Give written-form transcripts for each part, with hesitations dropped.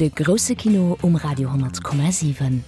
De grousse Kino um Radio 10,7.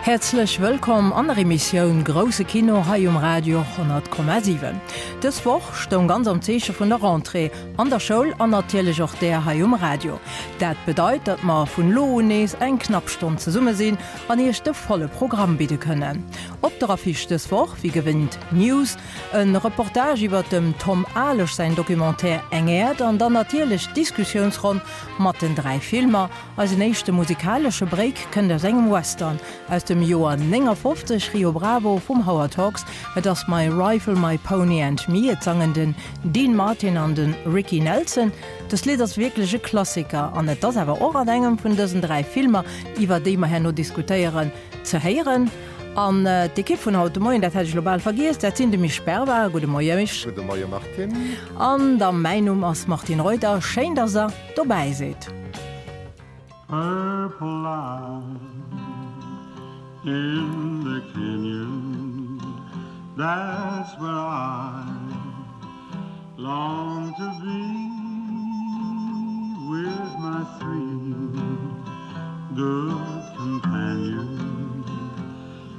Häerzlech wëllkomm an der Emissioun Grousse Kino hei um Radio 10,7. Dës Woch stoung ganz am Zeeche vun der Rentrée an der Schoul an natierlech och där hei um Radio. Dat bedeit, datt mer vun elo un nees eng knapp Stonn zesumme sinn an iech de volle Programm bidde kënnen. Op der Affiche dës Woch, wéi gewinnt, News, E Reportage iwwert dem Tom Alesch säin Documentaire Eng Äerd an dann natierlech d'Diskussiounsronn mat den 3 Filmer. Eisen éischte musikalesche Break kënnt aus engem Western aus dem Joer 59, Rio Bravo vum Howard Hawks. Et ass My Rifle, My Pony and Me. Et sangen den Dean Martin an de Ricky Nelson. Dëst Lidd ass wierklech e Klassiker an et ass awer och an engem vun dësen 3 Filmer, iwwer déi mer herno diskutéieren, ze héieren. An d'Ekipp vun haut de Moien, dat hätt ech elo bal vergiess, dat sinn de Misch Berbar, gudde Moie Misch. Gudde Moie Martine. An da mäin Numm ass Martine Reuter. Schéin, dass der dobäi sidd. Purple light in the canyon, that's where I long to be with my three good companions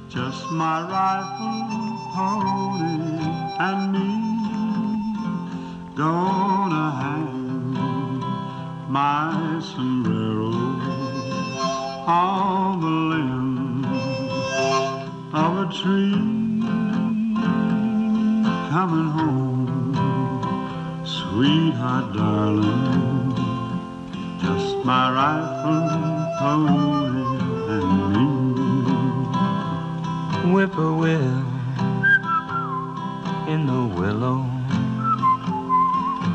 just my rifle pony and me gonna hang my sombrero on the limb of a tree coming home sweetheart darling just my rifle pony and me whippoorwill in the willow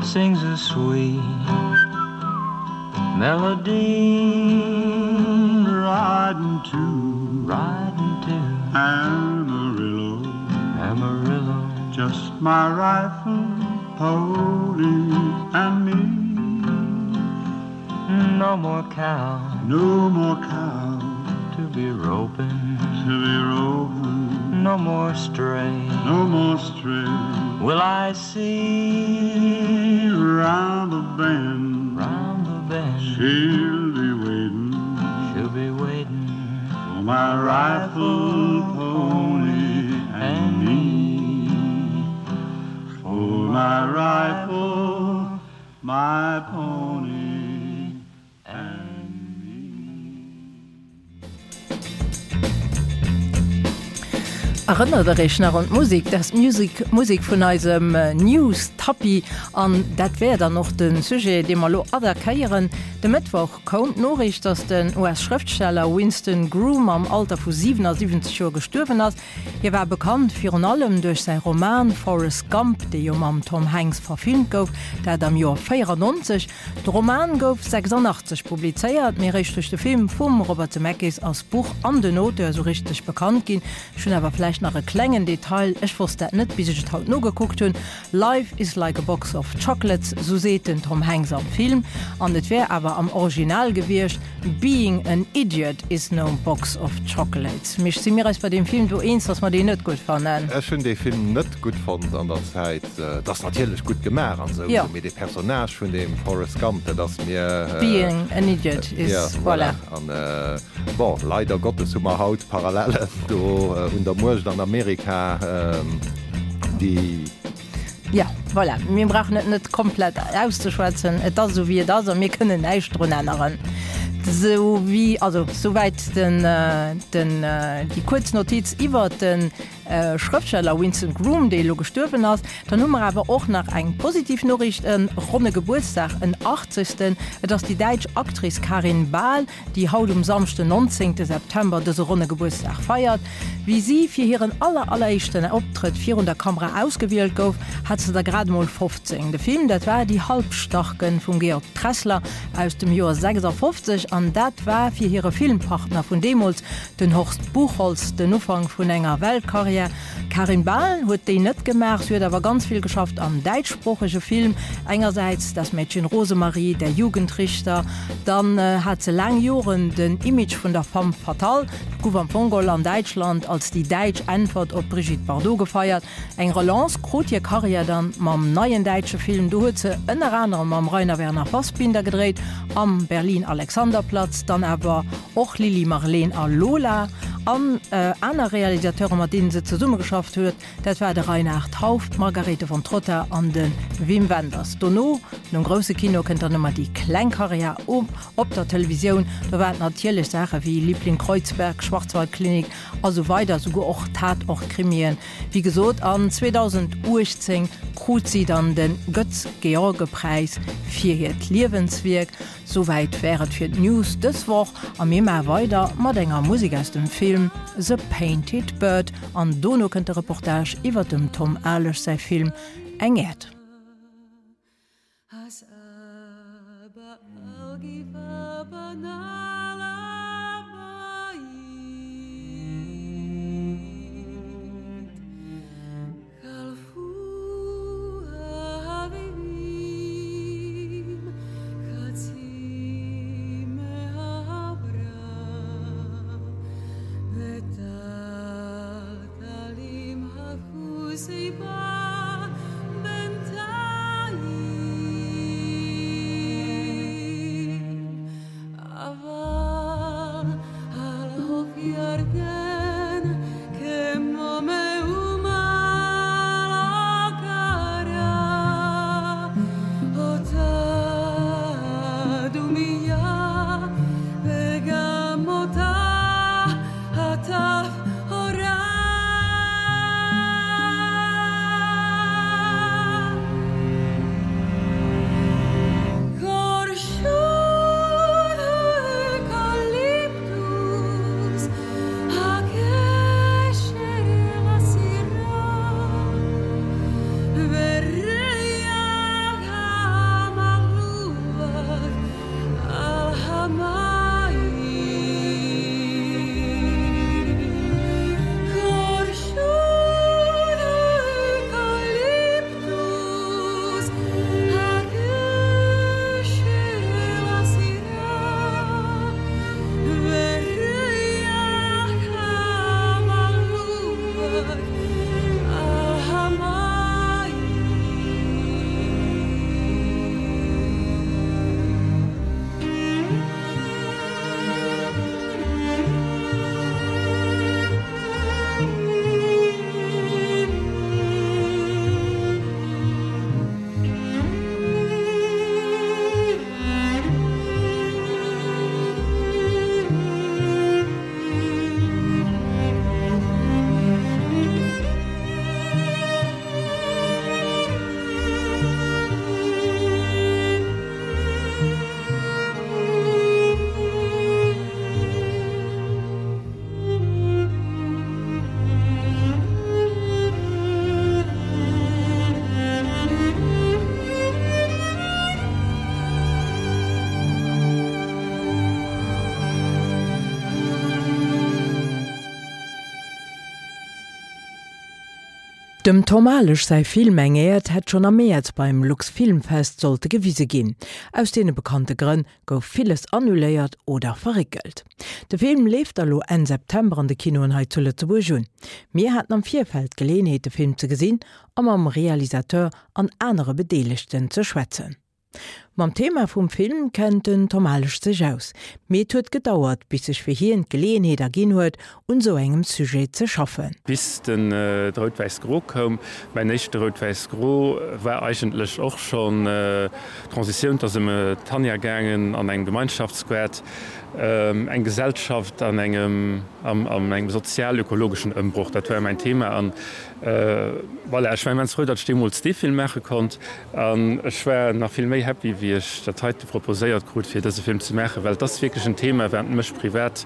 sings a sweet melody riding to riding to Amarillo Amarillo just my rifle pony and me no more cow no more cow to be roping to be roping no more stray no more stray will I see round the bend round the bend she'll be waiting she'll be waiting for my rifle pony and me for my rifle my pony and me. Erënnert der Iech nach un d'Musek? Dat ass d'Musek Musek vun eisem News Tappi an dat wär dann och de Sujet, dee mer elo attackéieren. De Mëttwoch koum d'Noriicht, datt den US-Schrëftsteller Winston Groom am Alter vu 77 Joer gestuerwen ass. Hie war bekannt virun allem duerch säi Roman Forrest Gump, dee jo mam Tom Hanks verfilmt gouf, dat am Joer 94. De Roman gouf 86 publizéiert, mee eréischt duerch de Film vum Robert Zemeckis ass d'Buch an den Auteur esou richteg bekannt ginn. Ech hunn awer vläicht nach e klengen Detail, ech wosst dat net, bis ech et haut nogekuckt hunn, Life is like a box of chocolates, sou seet den Tom Hanks am Film, an et wär awer am Original gewiescht, Being an idiot is no box of chocolates. Misch, si mir eis bei deem Film do eens, dass mer deen net gutt fannen? Ech hunn dee Film net gutt fonnt an der Zäit. Et ass natierlech gutt gemaach an esou, mee dee Personnage vun deem Forrest Gump, dat ass mir. Being an idiot is, voilà. An bon, leider Gottes hu mer haut Parallellen do un der Muecht an Amerika, déi. Jo, voilà, mir brauchen et net komplett auszeschwätzen. Et ass esou, wéi et ass, a mir kënnen näischt drun änneren. Sou wéi, also souwäit den, den, déi kuerz Notiz iwwert de Schrëftsteller Winston Groom, dee elo gestuerwen ass. Dann hu mer awer och nach eng positiv Noriicht, e ronne Gebuertsdag, en Achtzegsten. Et ass déi däitsch Actrice Karin Bahl, déi haut um Samschden 19 September dëse ronne Gebuertsdag feiert. Wéi si fir hiren aller alleréischten Optrëtt virun der Kamera ausgewielt gouf, hat se der grad emol 15. De Film, dat war Die Halbstarken vum Georg Tressler aus dem Joer 56. an dat war fir hire Filmpartner vun deemools, den Horst Buchholz, den Ufank vun enger Weltkarriär. D'Karin Bahl huet déi net gemaach, si huet awer ganz vill geschafft am däitschsproochege Film, engersäits Das Mädchen Rosemarie, Der Jugendrichter, dann hat se laang Joren den Image vun der Femme fatale, gouf am Fong geholl an Däitschland als déi däitsch Äntwert op d'Brigitte Bardot gefeiert. Eng Relance krut hir Karriär dann mam neien däitsche Film, do huet se ënner anerem mam Rainer Werner Fassbinder gedréit, am Berlin Alexanderplatz, dann awer och Lili Marleen a Lola. An aner Realisateure mat deenen se zesummegeschafft huet, dat war de Reinhard Hauff, d'Margarethe von Trotta an de Wim Wenders. Dono, nom grousse Kino, kënnt dann ëmmer déi kleng Karriär op der Televisioun. Do waren et natierlech Saache wéi Liebling Kreuzberg, Schwarzwaldklinik a sou weider, souguer och Tatort-Krimien. Wéi gesot, an 2018 krut si dann de Götz-George-Präis fir hiert Liewenswierk. Souwäit wär et fir d'News dës Woch a mir maache weider mat enger Musek aus dem Film The Painted Bird an dono kënnt de Reportage iwwer dem Tom Alesch säi Film Eng Äerd. Dem Tom Alesch säi Film Eng Äerd hätt schonn am Mäerz beim Luxfilmfest sollte gewise ginn. Aus deene bekannte Grënn gouf villes annuléiert oder verréckelt. De Film leeft da lo Enn September an de Kinoen hei zu Lëtzebuerg un. Mir haten am Virfeld d'Geleeënheet de Film ze gesinn a mam Realisateur an anere Bedeelegten ze schwätzen. Mam Thema vum Film kennt den Tom Alesch sech aus, mee et huet gedauert bis sech fir hien d'Geleeënheet erginn huet un sou engem Sujet ze schaffen. Bis den Rout-Wäiss-Gro koum. Mäin éischte Rout-Wäiss-Gro war eigentlech och schonn d'Transitioun. Et ass ëm d'Tanja gaangen an engem Gemeinschaftsgoart, eng Gesellschaft an engem an engem sozial-ökologeschen Ëmbroch. Dat war mäin Thema an voilà, ech war immens frou, datt ech deemools dee Film maache konnt an ech war nach vill méi happy, wéi ech dat heite proposéiert krut, fir dëse Film ze maachen, well et ass wierklech en Thema, wat mech privat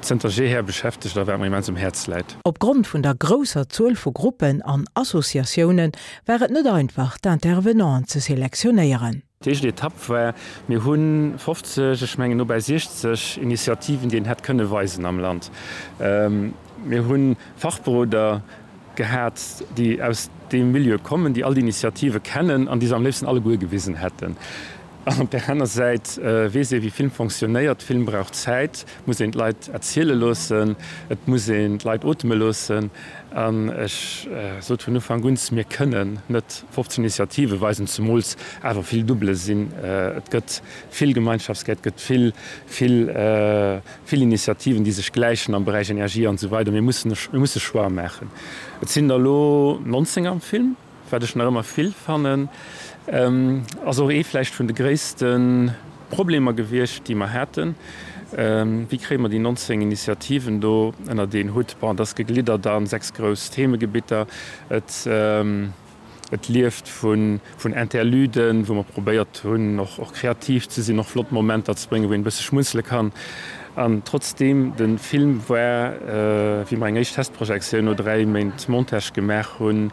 zënter jeher beschäftegt a wat mer immens um Häerz läit. Opgrond vun der grousser Zuel vu Gruppen an Associatioune war et net einfach, d'Intervenanten ze selektionéieren. D'éischt Etapp war, mir hu 50, ech mengen no bäi 60 Initiativen, déi een hätt kënne weisen am Land. Mir hu Fachberoder gehat, déi aus deem Milieu kommen, déi all déi Initiative kennen an déi se am léifsten alleguer gewisen hätten. An op där aner Säit weess ee wéi Film fonctionnéiert, Film brauch Zäit, et muss een d'Leit erziele loossen, et muss een d'Leit oteme loossen. An ech sot vun Ufank un, mir kënnen net 15 Initiative weisen, zemools awer vill Dubbele sinn. Et gëtt vill Gemeinschaftsgäert, et gëtt vill, vill, vill Initiativen, déi sech gläichen am Beräich Energie an esou weider. Mir mussen, mir musse Choix maachen. Et sinn der elo 19 am Film. Wat ech nach ëmmer vill fannen, ass och ee vläicht vun de gréisste Problemer gewiescht, déi mer haten, Wéi kréie mer déi 19 Initiativen do ënnert een Hutt? Bon, et ass gegliddert a 6 grouss Themegebitter. Et, et lieft vun, vun Interluden, wou mer probéiert hunn, och, och kreativ ze sinn, och flott Momenter ze bréngen, wou een e bësse schmunzele kann. An trotzdeem, de Film war, wéi mer eng éischt Testprojektioun no 3 Méint Montage gemaach hunn,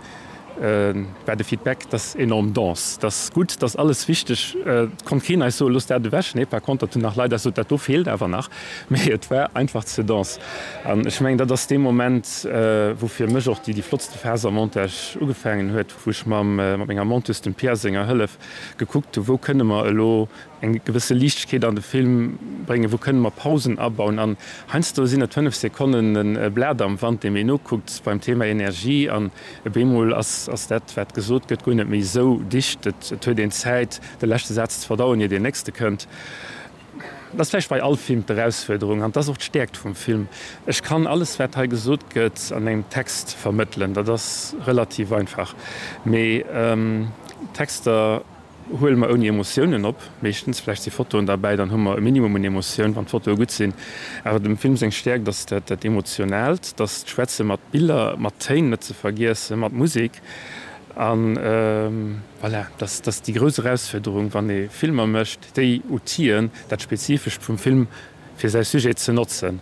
war de Feedback, dat ass enorm dense, dat ass gutt, dat ass alles wichteg. Et konnt keen eis soen, loosst dat ewech. Nee, par contre, dat hunn nach Leit eis gesot, dat do feelt awer nach. Mee et war einfach ze dense. An ech mengen, dat ass dee Moment, wou fir mech och déi flottste Phas am Montage ugefaangen huet, wou ech mam, mat menger Monteuse, dem Pia senger Hëllef, gekuckt hu, wou kënne mer elo eng gewësse Liichtegkeet an de Film bréngen, wou kënne mer Pausen abauen an heiansdo sinn et 5 Sekonnen e Blat am Wand, deem een nokuckt beim Thema Energie an op eemol ass ass dat wat gesot gëtt guer net méi esou dicht, et et huet een Zäit de leschte Saz ze verdauen ier deen nächste kënnt. Dat ass vläicht bei all Film d'Erausfuerderung an dat ass och d'Stäerkt vum Film. Ech kann alles wat hei gesot gëtt an engem Text vermëttelen, dat ass relativ einfach, mee Texter, Huele mer ouni Emotiounen op, meeschtens. Vläicht si Fotoen derbäi, dann hu mer e Minimum un Emotioun, wann d'Fotoe gutt sinn. Awer dem Film seng Stäerkt ass dat dat Emotionaalt, dass d'Schwätze mat Biller, mat Téin net ze vergiessen, mat Musek. A voilà, dass dass déi grouss Erausfuerderung, wann ee Filmer mécht, déi Outiller, dat Spezifescht vum Film fir säi Sujet ze notzen.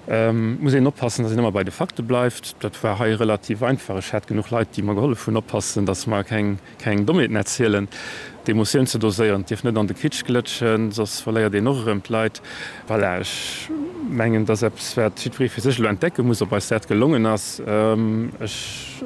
Et muss een oppassen, dass een ëmmer bei de Fakte bleift. Dat war hei relativ einfach. Ech hat genuch Leit, déi mer gehollef hunn oppassen, dass mer keng Keng Dommheeten erzielen, d'Emotioun ze doséieren, et dierf net an de Kitsch glëtschen, soss verléiert een och erëm d'Leit. Voilà, ech mengen, et ass eppes, wat jiddweree fir sech elo entdecke muss, ob eis dat gelongen ass. Ech,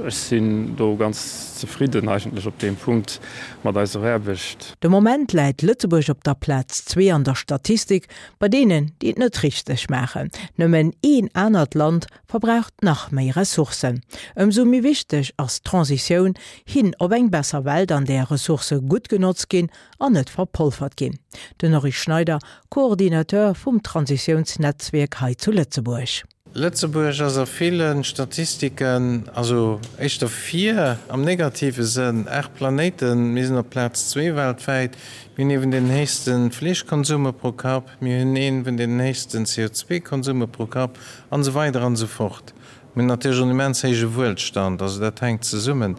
ech sinn do ganz zefridden eigentlech op deem Punkt mat eiser Aarbecht. De Moment läit Lëtzebuerg op der Plaz zwee an der Statistik bei deenen, déi et net richteg maachen. Nëmmen een anert Land verbraucht nach méi Ressourcen. Ëmsou méi wichteg ass d'Transitioun hin op eng besser Welt, an där Ressourcë gutt genotzt ginn an net verpolfert ginn. Den Henri Schneider, Coordinateur vum Transitiounsnetzwierk hei zu Lëtzebuerg. Lëtzebuerg ass a ville Statistiken, also éischter vir am negative Sënn, 8 Planéiten, mir sinn op Plaz zwee weltwäit, mir hunn ee vun deenen héchste Fleeschkonsume pro Kapp, mir hunn ee vun deenen héchsten CO2-Konsume pro Kapp, An esou weider an esou fort. Mir hunn natierlech och en immens héije Wuelstand, also dat hänkt zesummen.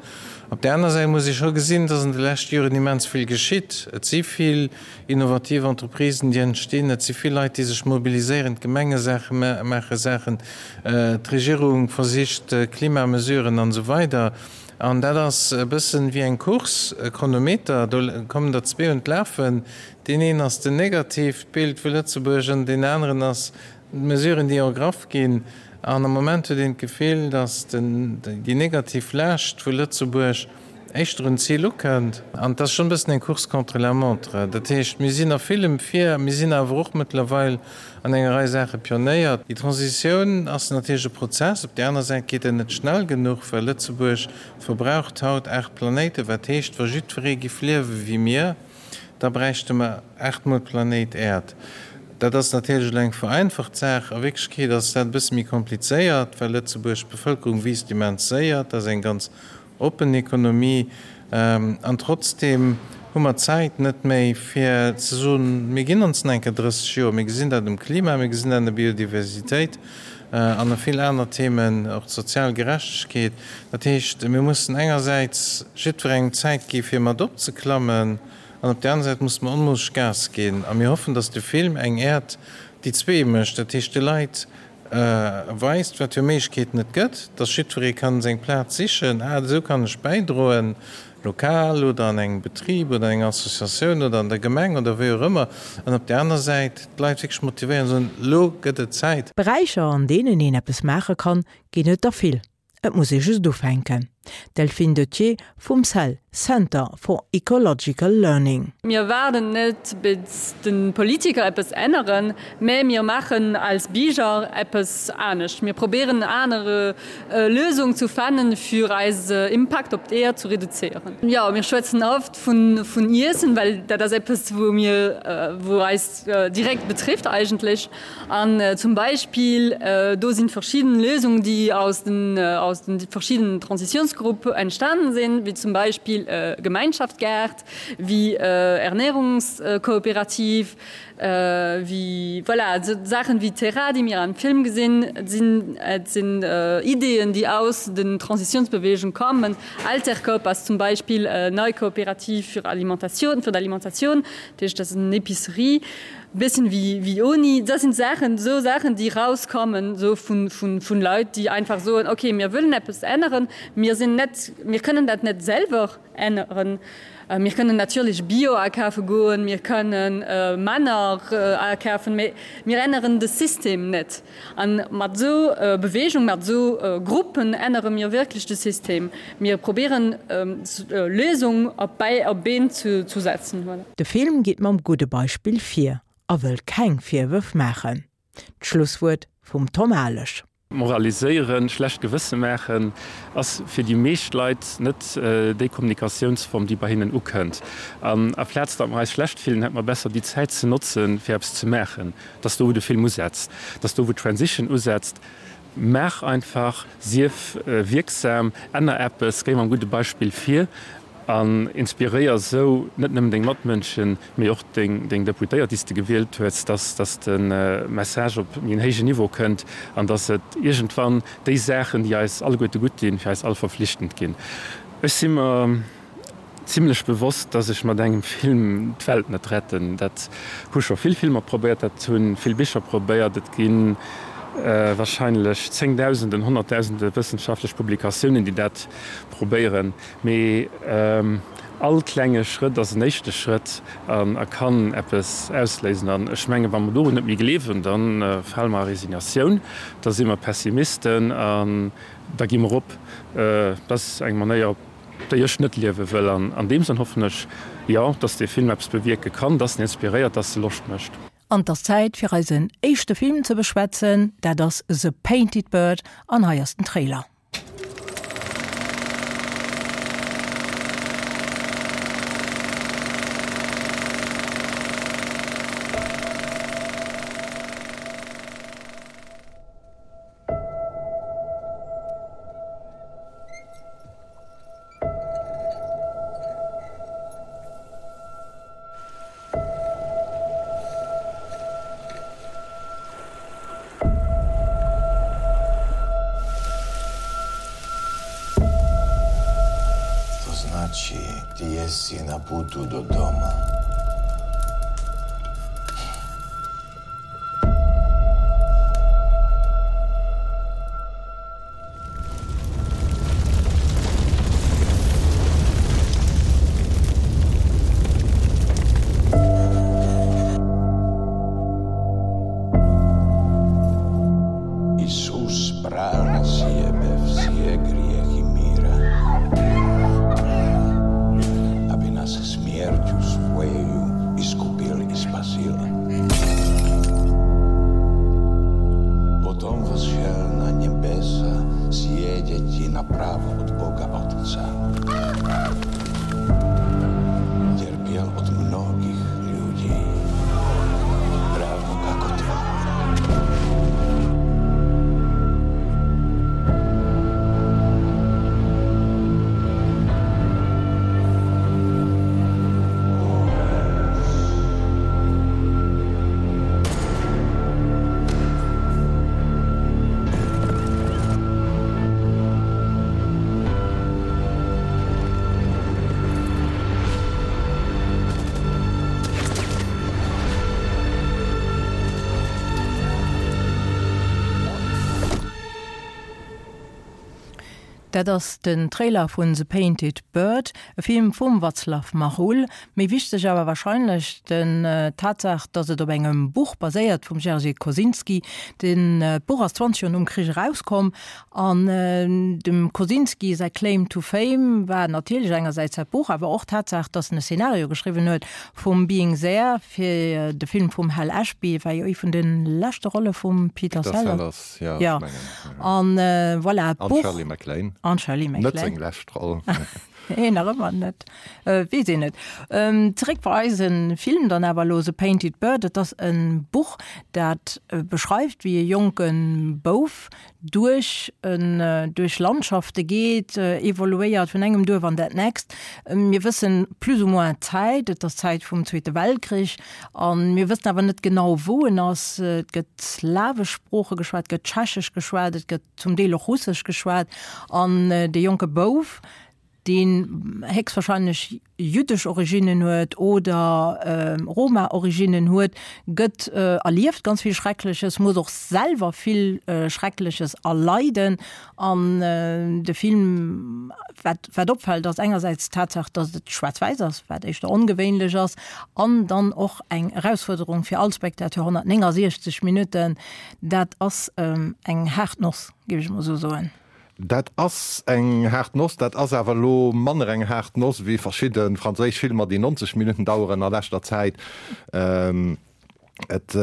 Op där aner Säit muss ee scho gesinn, dass an de leschte Joren immens vill geschitt. Et si vill innovativ Entreprisen, déi entstinn, et si vill Leit, déi sech mobiliséieren, d'Gemenge maache Saachen, d'Regierung versicht Klimamesuren an esou weider. An dat ass e bëssen wéi eng Course, e Chronometer, do kommen der zwee un d'Lafen. Deen een ass den negatiivt Bild vu Lëtzebuerg an deen aneren ass D'Mesuren, déi ergraff ginn, an am Moment huet een d'Gefill, datt déi negativ Laascht vu Lëtzebuerg éischter un d'Zil ukënnt. An et ass schonn e bëssen eng Course contre la montre. Dat heescht, mir sinn a villem vir, mir sinn awer och mëttlerweil an enger Rei Saache Pionéier. Déi Transitioun ass natierlech e Prozess. Op där aner Säit geet en net schnell genuch, well Lëtzebuerg verbraucht haut 8 Planéiten, wat heescht, wa jiddweree giff liewe wéi mir, Da bräichte mer aachtmol d'Planéit Äerd. Dat ass natierlech elo eng vereinfacht Saach. A Wierklechkeet ass dat e bësse méi komplizéiert, well Lëtzebuerg, d'Bevëlkerung wiisst immens séier, dat ass eng ganz oppen Ekonomie. An trotzdeem hu mer d'Zäit net méi, fir ze soen, mir ginn ons nach eng Kéier 30 Joer. Mir gesinn dat um Klima, mir gesinn dat an der Biodiversitéit an a vill aner Themen, och d'sozial Gerechtegkeet. Dat heescht, mir mussen engersäits jiddwerengem Zäit gi fir mat opzeklammen an op där aner Säit musse mer onmoosseg Gas ginn. A mir hoffen, datt de Film eng Äerd déi zwee mécht, dat heescht de Leit weist, wat fir Méiglechkeeten et gëtt, datt jiddweree kann seng Plaz sichen, ah esou kann ech bäidroen. Lokal oder an engem Betrib oder an enger Associatioun oder an der Gemeng oder wéi och ëmmer, an op där aner Säit d'Leit wierklech motivéieren an soen, Elo gëtt et Zäit. Beräicher, an deenen een eppes maache kann, ginn et der vill. Et muss ee just ufänken. D'Delphine Dethier vum cell, Center for Ecological Learning. Mir waarden net bis de Politiker eppes änneren, mä mir maachen als Bierger eppes anescht. Mir probéieren aner Lösung zu fannen fir eise Impakt op d'Äerd zu reduzéieren. Jo, mir schwätzen oft vun vun Iessen, well dat ass eppes wou mir wou eis direkt betrifft eigentlech. An zum Beispill do sinn verschidden Lösungen déi aus den aus den verschiddenen Transitiounsgrupp entstanen sinn, wéi zum Beispill Gemeinschaftsgaart, wéi Ernährungskooperativ, Wéi, voilà, esou Saachen wéi Terra, déi mir am Film gesinn, et sinn, et sinn Ideeën, déi aus den Transitiounsbewegung kommen. Altercoop ass zum Beispill e nei Kooperativ fir Alimentatioun, fir d'Alimentatioun, dat heescht, dat ass en Epicerie, e bësschen wéi, wéi Oni. Dat sinn Saachen, esou Saachen, déi rauskommen, esou vun, vun, vun Leit, déi einfach soen, okay, mir wëllen eppes änneren, mir sinn net, mir kënnen dat net selwer. Änneren. Mir kënnen natierlech Bio akafe goen, mir kënnen manner akafen, mee mir änneren de System net. A mat esou Bewegung, mat esou Gruppen ännere mir wierklech de System. Mir probieren Lösung op Been ze setzen. Voilà. De Film geet mam gudde Beispill vir a wëll keng Virwërf maachen. D'Schlusswuert vum Tom Alesch. Moraliséieren, schlecht Gewësse maachen, ass fir déi meescht Leit net déi Kommunikatiounsform, déi bei hinnen ukënnt. An aplaz datt mer eis schlecht fillen, hätte mer besser déi Zäit ze notzen, fir eppes ze maachen. Et ass do, wou de Film usetzt. Et ass do, wou d'Transition usetzt. Maach einfach, sief wierksam, änner eppes, géi mam gudde Beispill vir. An inspiréier esou net nëmmen deng Matmënschen, mee och deng Deputéiert, déi s de gewielt hues, dass dass de Message op méi en héijen Niveau kënnt an dass et iergendwann déi Saachen, déi eis alleguerte gutt dinn, fir eis all verflichtend ginn. Ech si mer zimlech bewosst, dass ech mat engem Film d'Welt net retten. Dat hu scho vill Filmer probéiert, dat hu vill Bicher probéiert. Et gi wahrscheinlech Zéngdausenden, Honnertdausende wëssenschaftlech Publikatiounen, déi dat probéieren. Mee all klenge Schrëtt ass en éischte Schrëtt an a kann eppes ausléisen. An ech mengen, wa mer dorun net méi gleewen, da fale mer a Resignatioun, da si mer Pessimisten an da gi mer op. Dat ass eng Manéier, op déi ech net liewe wëll. An an deem Sënn hoffen ech, jo, dass dee Film eppes bewierke kann, dass en inspiréiert, dass e Loscht mécht. An 't ass Zäit fir eisen éischte Film ze beschwätzen, dat ass The Painted Bird an hei ass den Trailer. To znači ti jesi na putu do doma. Isus bral na sebe vse grijehi mira, aby nas smjerću svojeju iskupil i spasil. Potom vzšel na nebesa sjedeti napravo od Boga Otca. Terpjel od mnogih ljudi, ravno kako ti. Dat ass den Trailer vun The Painted Bird, e Film vum Václav Machul. Méi wichteg awer warscheinlech den d'Tatsaach, datt et op engem Buch baséiert vum Jerzy Kosinski. Den d'Buch ass 20 Joer nom Krich erauskomm an dem Kosinski säi Claim to Fame war natierlech engersäits dat Buch, awer och d'Tatsaach, datt en e Szenario geschriwwen huet vum Being There fir de Film vum Hal Ashby, war jo ee vun de leschte Rolle vum Peter Sellers. Ja, ja. An äh, voilà, An Shirley MacLaine. An Shirley MacLaine. Net seng lescht Roll. Nee, nach ëmmer net. Äh, weess een net. Ähm, zeréck bei eisen Film dann awer elo, The Painted Bird. Et ass en Buch, dat äh, beschreift, wéi e jonke Bouf duerch en, äh, duerch Landschafte geet, äh, evoluéiert vun engem Duerf an dat nächst. Mir wëssen plus ou moins d'Zäit, et ass d'Zäit vum Zweete Weltkrich. A mir wëssen awer net genau, wou en ass. Et gëtt slawesch Sprooche geschwat, et gëtt Tschechesch geschwat, et gëtt zum Deel och Russesch geschwat. An dee jonke Bouf, deen héchstwahrscheinlech jüddesch Originnen huet oder Roma-Originnen huet, gëtt erlieft ganz vill Schreckleches, muss och selwer vill Schreckleches erleiden. An de Film, wat, wat opfält, ass engersäits d'Tatsaach, datt et schwaarz-wäiss ass, wat éischter ongewéinlech ass, an dann och eng Erausfuerderung fir all Spectateur, 169 Minutten, dat ass eng haart Noss, géif ech emol esou soen. Dat ass eng haart Noss. Dat ass awer elo manner eng haart Noss wéi verschidde franséisch Filmer, déi 90 Minutten daueren a leschter Zäit. Et,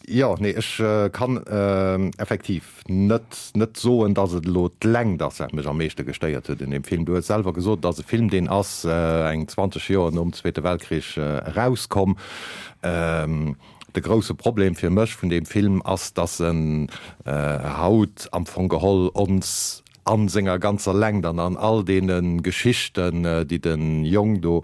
jo, nee, ech kann effektiv net, net soen, dass et elo d'Längt ass, wat mech am meeschte gestéiert huet un deem Film. Du hues selwer gesot, et ass e Film, deen ass eng 20 Joer nom Zweete Weltkrich erauskomm. De grousse Problem fir mech vun deem Film ass, dass en haut am Fong geholl ons a senger ganzer Längt an an all deene Geschichten, déi de Jong do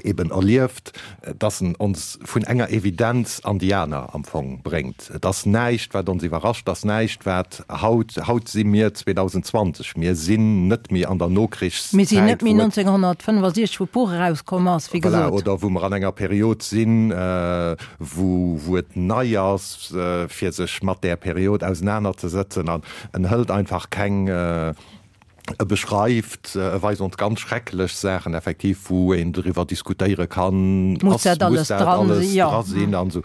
eben erlieft, dass en ons vun enger Evidenz an déi aner am Fong bréngt. Et ass näischt, wat ons iwwerrascht, et ass näischt, wat haut, haut si mir 2020, mir sinn net méi an der Nokrichszäit, Mir sinn net méi 1965, wou d'Buch erauskomm ass, wéi gesot. Voilà, oder wou mer an enger Period sinn, wou, wou et nei ass, fir sech mat där Period ausenanerzesëtzen. An en hëlt einfach keng, E beschreift, e weist ons ganz schrecklech Saachen effektiv, wou een driwwer diskutéiere kann, Muss dat alles dran sinn? Jo. Dra sinn an esou.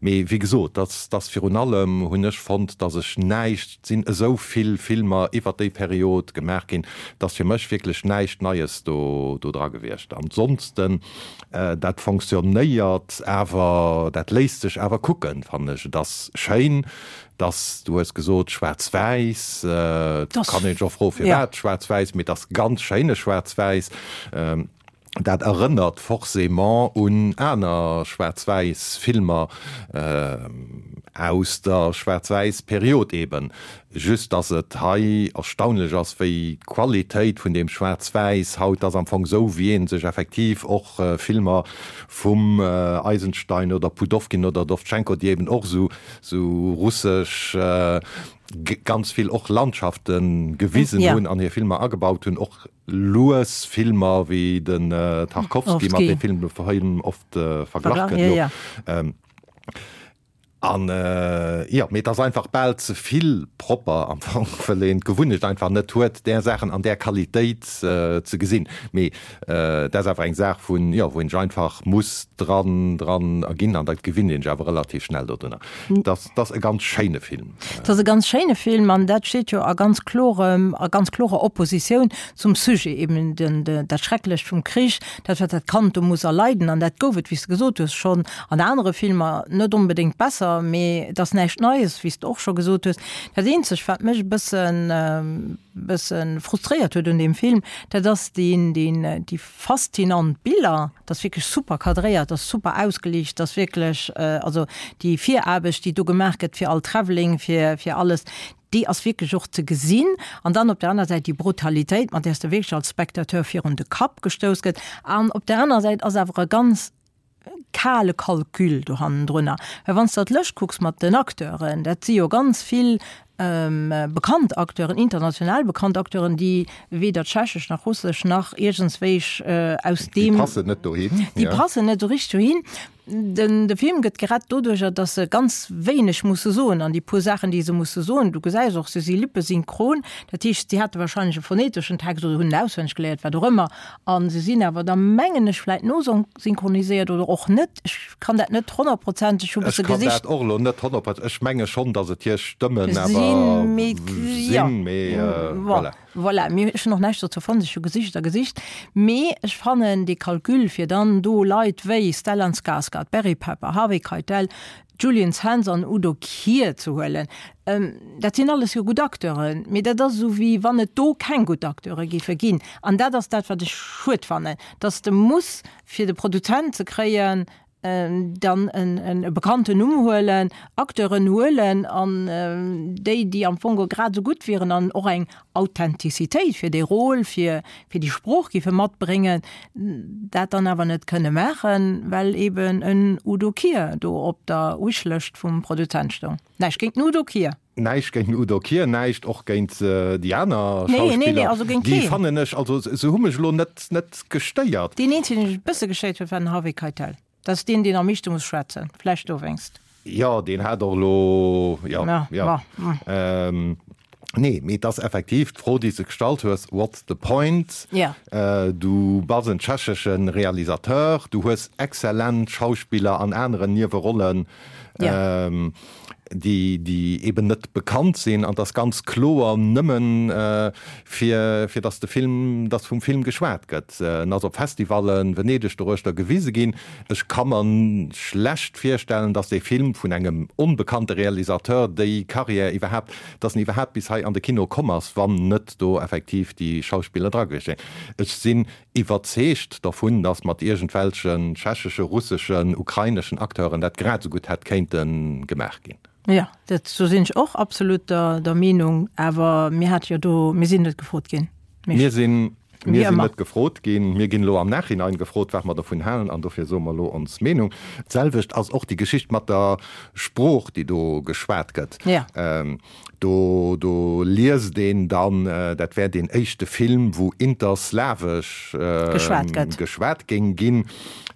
Mee wéi gesot, dass, dass virun allem hunn ech fonnt, dass ech näischt, et sinn esou vill Filmer iwwert déi Period gemaach ginn, dass fir mech wierklech näischt Neies do, do dra gewiescht. Ansonsten, dat fonctionnéiert awer, dat léisst sech awer kucken, fannen ech. Et ass schéin, Dass, du hues gesot schwaarz-wäiss, et kann een sech och froe firwat schwaarz-wäiss, mee et ass ganz schéine schwaarz-wäiss. Dat erënnert forcément un aner schwaarz-wäiss Filmer aus der schwaarz-wäiss Period eben. Just dass et hei erstaunlech ass, wéi d'Qualitéit vun deem schwaarz-wäiss haut ass, am Fong esou wéi ee sech effektiv och Filmer vum Eisenstein oder Pudovkin oder Dovzhenko, déi eben och esou sou russesch ganz vill och Landschafte gewisen hunn an hir Filmer agebaut hunn, och lues Filmer wéi den Tarkovsky, mat deem Film oft verglach gëtt elo. An jo, mee et ass einfach bal ze vill propper am Fong, well een d'Gewunnecht einfach net huet, där Saachen an där Qualitéit ze gesinn. Mee dat ass awer eng Saach vun, jo, wou een sech einfach muss dran, dran erginn an dat gewinnt een sech awer relativ schnell dodrunner. Dat ass e ganz schéine Film. Dat ass e ganz schéine Film an dat steet jo a ganz klorem, a ganz klorer Oppositioun zum Sujet, eben den, dat Schrecklecht vum Krich, dat wat dat Kand do muss erleiden. An dat gouf et, wéi s de gesot hues, schonn an anere Filmer, net onbedéngt besser, mee et ass näischt Neies, wéi s de och scho gesot hues. Dat eenzegt, wat mech e bëssen, bësse frustréiert huet un deem Film, dat ass deen, deen, déi faszinant Biller, dat ass wierklech super cadréiert, dat ass super ausgeliicht, dat ass wierklech, also déi Viraarbecht, déi do gemaach gëtt fir all Travelling, fir, fir alles, déi ass wierklech och ze gesinn. An dann op der aner Säit déi Brutalitéit, mat där s de wierklech als Spectateur virun de Kapp gestouss gëtt. An op der aner Säit ass awer e ganz kale Calcul do hannendrunner. Well wann s de d'Lëscht kucks mat den Acteuren, dat si jo ganz vill bekannt Acteuren, international bekannt Acteuren, déi weder Tschechesch nach Russesch nach iergendswéich aus deem. Déi passen net dohin. Déi passen net esou richteg dohin. Den de Film gëtt gerett doduercher, datt se ganz wéineg musse soen an déi puer Saachen, déi se musse soen, du gesäis och, se si lippesynchron, dat heescht, si hate wahrscheinlech e phoneteschen Text oder hunn en auswenneg geléiert, wat och ëmmer, a se sinn awer da mengen ech vläit nosynchroniséiert oder och net, ech kann dat net honnertprozenteg, hu Ech bësse kann gesicht. dat och elo net honnertprozenteg, ech menge schonn, datt et hir Stëmmen awer Sinn, mee jo, sinn, mee bon. voilà. Voilà, mir, ech hunn och näischt dozou fonnt, ech hu gesicht a gesicht, mee ech fannen dee Calcul, fir dann do Leit wéi Stellan Skarsgård, Barry Pepper, Harvey Keitel, Julian Sands an Udo Kier ze huelen, dat sinn alles jo gutt Acteuren, mee dat ass esou wéi wann et do keng gutt Acteure géife ginn. An dat ass dat, wat ech schued fannen, dass de muss, fir de Produzent ze kréien, dann e bekannten Numm huelen, Acteuren huelen an déi, déi am Fong grad esou gutt wieren an och eng Authentizitéit fir dee Rôle, fir fir déi Sprooch géife matbréngen, dat dann awer net kënne maachen, well eben en Udo Kier do op der Wishlëscht vum Produzent stoung. Näischt géint den Udo Kier. Näischt géint den Udo Kier, näischt och géint déi aner Nee, nee, nee, Schauspiller. also géint Déi keen. fannen ech, also se hu mech elo net, net gestéiert. Deen eenzegen, deen mech e bësse gestéiert huet, war den Harvey Keitel. Dat ass deen, deen am meeschte muss schwätzen. Vläicht dowéinst. Jo, deen hat och elo, jo, Ja, jo. ma, mm. Nee, mee et ass effektiv d'Fro, déi s de gestallt hues, What's the point? Ja. Du bass en tschechesche Realisateur, du hues exzellent Schauspiller an aneren Niewerollen. Ja. déi déi eben net bekannt sinn, an et ass ganz kloer nëmmen fir fir datt de Film, datt vum Film geschwat gëtt. En ass op Festivallen, Venedeg doruechter gewise ginn. Ech ka mer schlecht virstellen, datt dee Film vun engem onbekannte Realisateur déi Carrière iwwerhaapt, datt en iwwerhaapt bis hei an de Kino komm ass, wann net do effektiv déi Schauspiller dra gewiescht wären. Ech sinn iwwerzeegt dervun, datt mat iergendwelchen tschecheschen, russeschen, ukraineschen Acteuren dat grad esou gutt hätt kéinte gemaach ginn. Jo, dat, do sinn ech och absolut der, der Meenung. Awer mir hate jo do, mir sinn net gefrot ginn. Mir sinn, Wéi mir sinn ëmmer. net gefrot ginn. Mir ginn elo am Nachhinein gefrot, wat mer dovun halen, an dofir soe mer elo ons Meenung. D'selwecht ass och déi Geschicht mat der Sprooch, déi do geschwat gëtt. Ja. Do, do liest een dann, dat wär deen éischte Film, wou interslawesch Geschwat gëtt. geschwat géing ginn.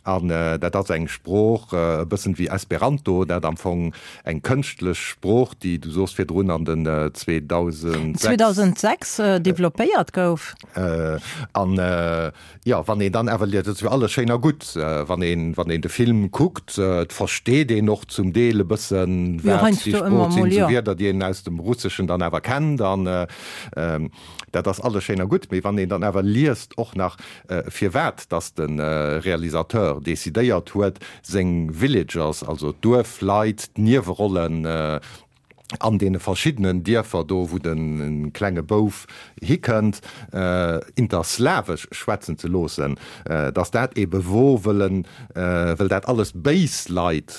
An dat ass eng Sprooch, e bëssen wéi Esperanto, dat am Fong eng kënschtlech Sprooch, déi, du soos virdrun, an den 2006. 2006 developpéiert gouf. An Jo, wann een dann awer liest, et ass jo alles schéin a gutt, wann een, wann een de Film kuckt, et versteet een och zum Deel e bëssen, Jo, wat déi heiansdo Sprooch ëmmer sinn, mol, esou jo. Wierder, déi een aus dem Russeschen dann awer kennt an dat ass alles schéin a gutt. Mee wann een dann awer liest och nach, firwat dass de Realisateur decidéiert huet, seng Villagers, also d'Duerfleit, d'Niewerollen, an deene verschiddenen Dierfer do, wou de klenge Bouf hikënnt, interslawesch schwätzen ze loossen, dass dat ebe wor, wëll en, wëll dat alles béis Leit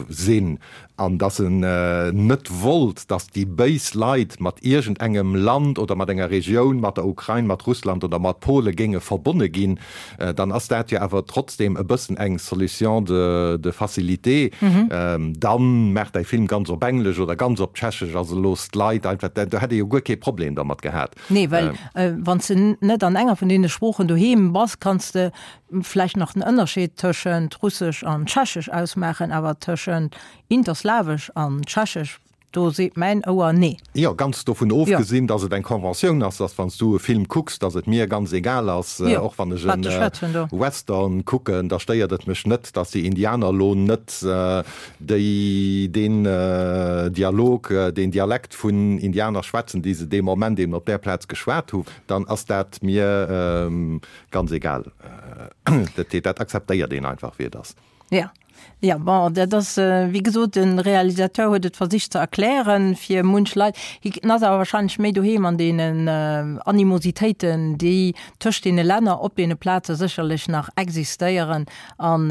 sinn an dass en net wollt, dass déi béis Leit mat iergendengem Land oder mat enger Regioun, mat der Ukrain, mat Russland oder mat Pole géinge verbonne ginn, dann ass dat jo awer trotzdem e bëssen eng Solution de de facilité. Dann maach däi Film ganz op Englesch oder ganz op Tschechesch, also looss d'Leit einfach, do hätt ee jo guer kee Problem dermat gehat. Nee, well wann s de net an enger vun deene Sproochen doheem bass, kanns de vläicht nach den Ënnerscheed tëschent Russesch an Tschechesch ausmaachen, awer tëschent Interslawesch an Tschechesch Do seet mäin Ouer nee. Jo, ganz dovun ofgesinn, dass et eng Conventioun ass, dass wann s du e Film kucks, dass et mir ganz egal ass, och wann ech e Western kucken, da stéiert et mech net, dass déi Indianer elo net déi deen Dialog, deen Dialekt vun Indianer schwätzen, déi se dee Moment eben op där Plaz geschwat hu, dann ass dat mir ganz egal. Dat akzeptéiert een einfach, wéi et ass. Ja. Ja, bon, dat ass, wéi gesot, de Realisateur huet et versicht ze erklären fir munch Leit. Hien ass awer wahrscheinlech méi doheem an deenen Animositéiten, déi tëscht deene Länner op deene Plaze sécherlech nach existéieren. An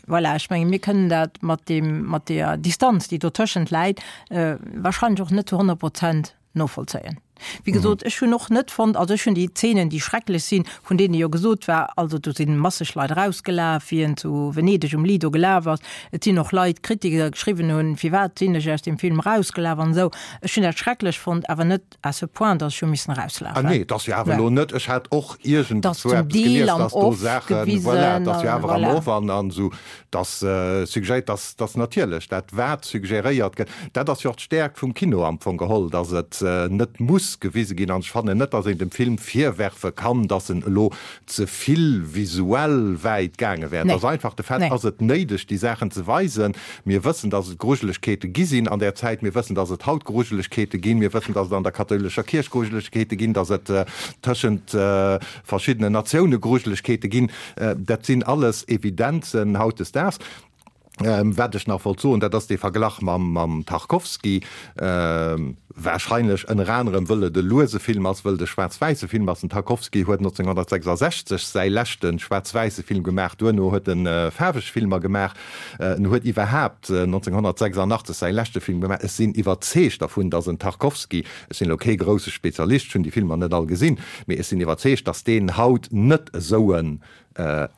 voilà, ech menge mir kënnen dat mat deem, mat deeër Distanz, déi dotëschent läit, wahrscheinlech och net zu 100 Prozent novollzéien. Wéi gesot, ech hunn och net fonnt, also ech hunn déi Zeenen, déi schrecklech sinn, vun deene jo gesot war, also do si masseg Leit erausgelaf, wéi en zu Venedeg um Lido gelaf ass. Et sinn och Leit, Kritiker, geschriwwen hunn, firwat sinn ech aus deem Film erausgelaf an esou. Ech hunn dat schrecklech fonnt, awer net à ce point, datt ech hu missen Ah erauslafen. nee, et ass jo awer elo net, ech hat och Et ass iergendzwou zum eppes Deel gelies, am datt do Off Saachen, voilà, gewisen et ass jo a awer am voilà. Off an an esou, Dass suggéiert, dass, dass natierlech dat wat suggéréiert gëtt, dat ass jo och d'Stäerkt vum Kino am Fong geholl, dass et net muss gewise ginn. An ech fannen net, dass een dem Film virwerfe kann, dass en elo ze vill visuell wäit gaange wär. Et ass einfach de Fait, ass et néideg déi Saachen ze weisen? Mir wëssen, dass et Grujelegkeete gi sinn an där Zäit. Mir wëssen, dass et haut Grujelegkeete ginn. Mir wëssen, dass et an der kathoulescher Kierch Grujelegkeete ginn, dass et tëschent verschiddenen Natioune Grujelegkeete ginn. Dat sinn alles Evidenzen hautdesdaags. Wat ech nach wollt soen, dat ass dee Verglach mam Tarkovsky, wahrscheinlech ënner anerem wëll et e luese Film ass, wëll et e schwaarz-wäisse Film ass. Den Tarkovsky huet 1966 säi leschte schwaarz-wäisse Film gemaach, duerno huet e faarweg Filmer gemaach. En huet iwwerhaapt 1986 säi leschte Film gemaach. Ech sinn iwwerzeegt dervun, datt en Tarkovsky, Ech sinn elo kee grousse Spezialist, ech hunn déi Filmer net all gesinn, mee ech sinn iwwerzeegt, datt deen haut net esou en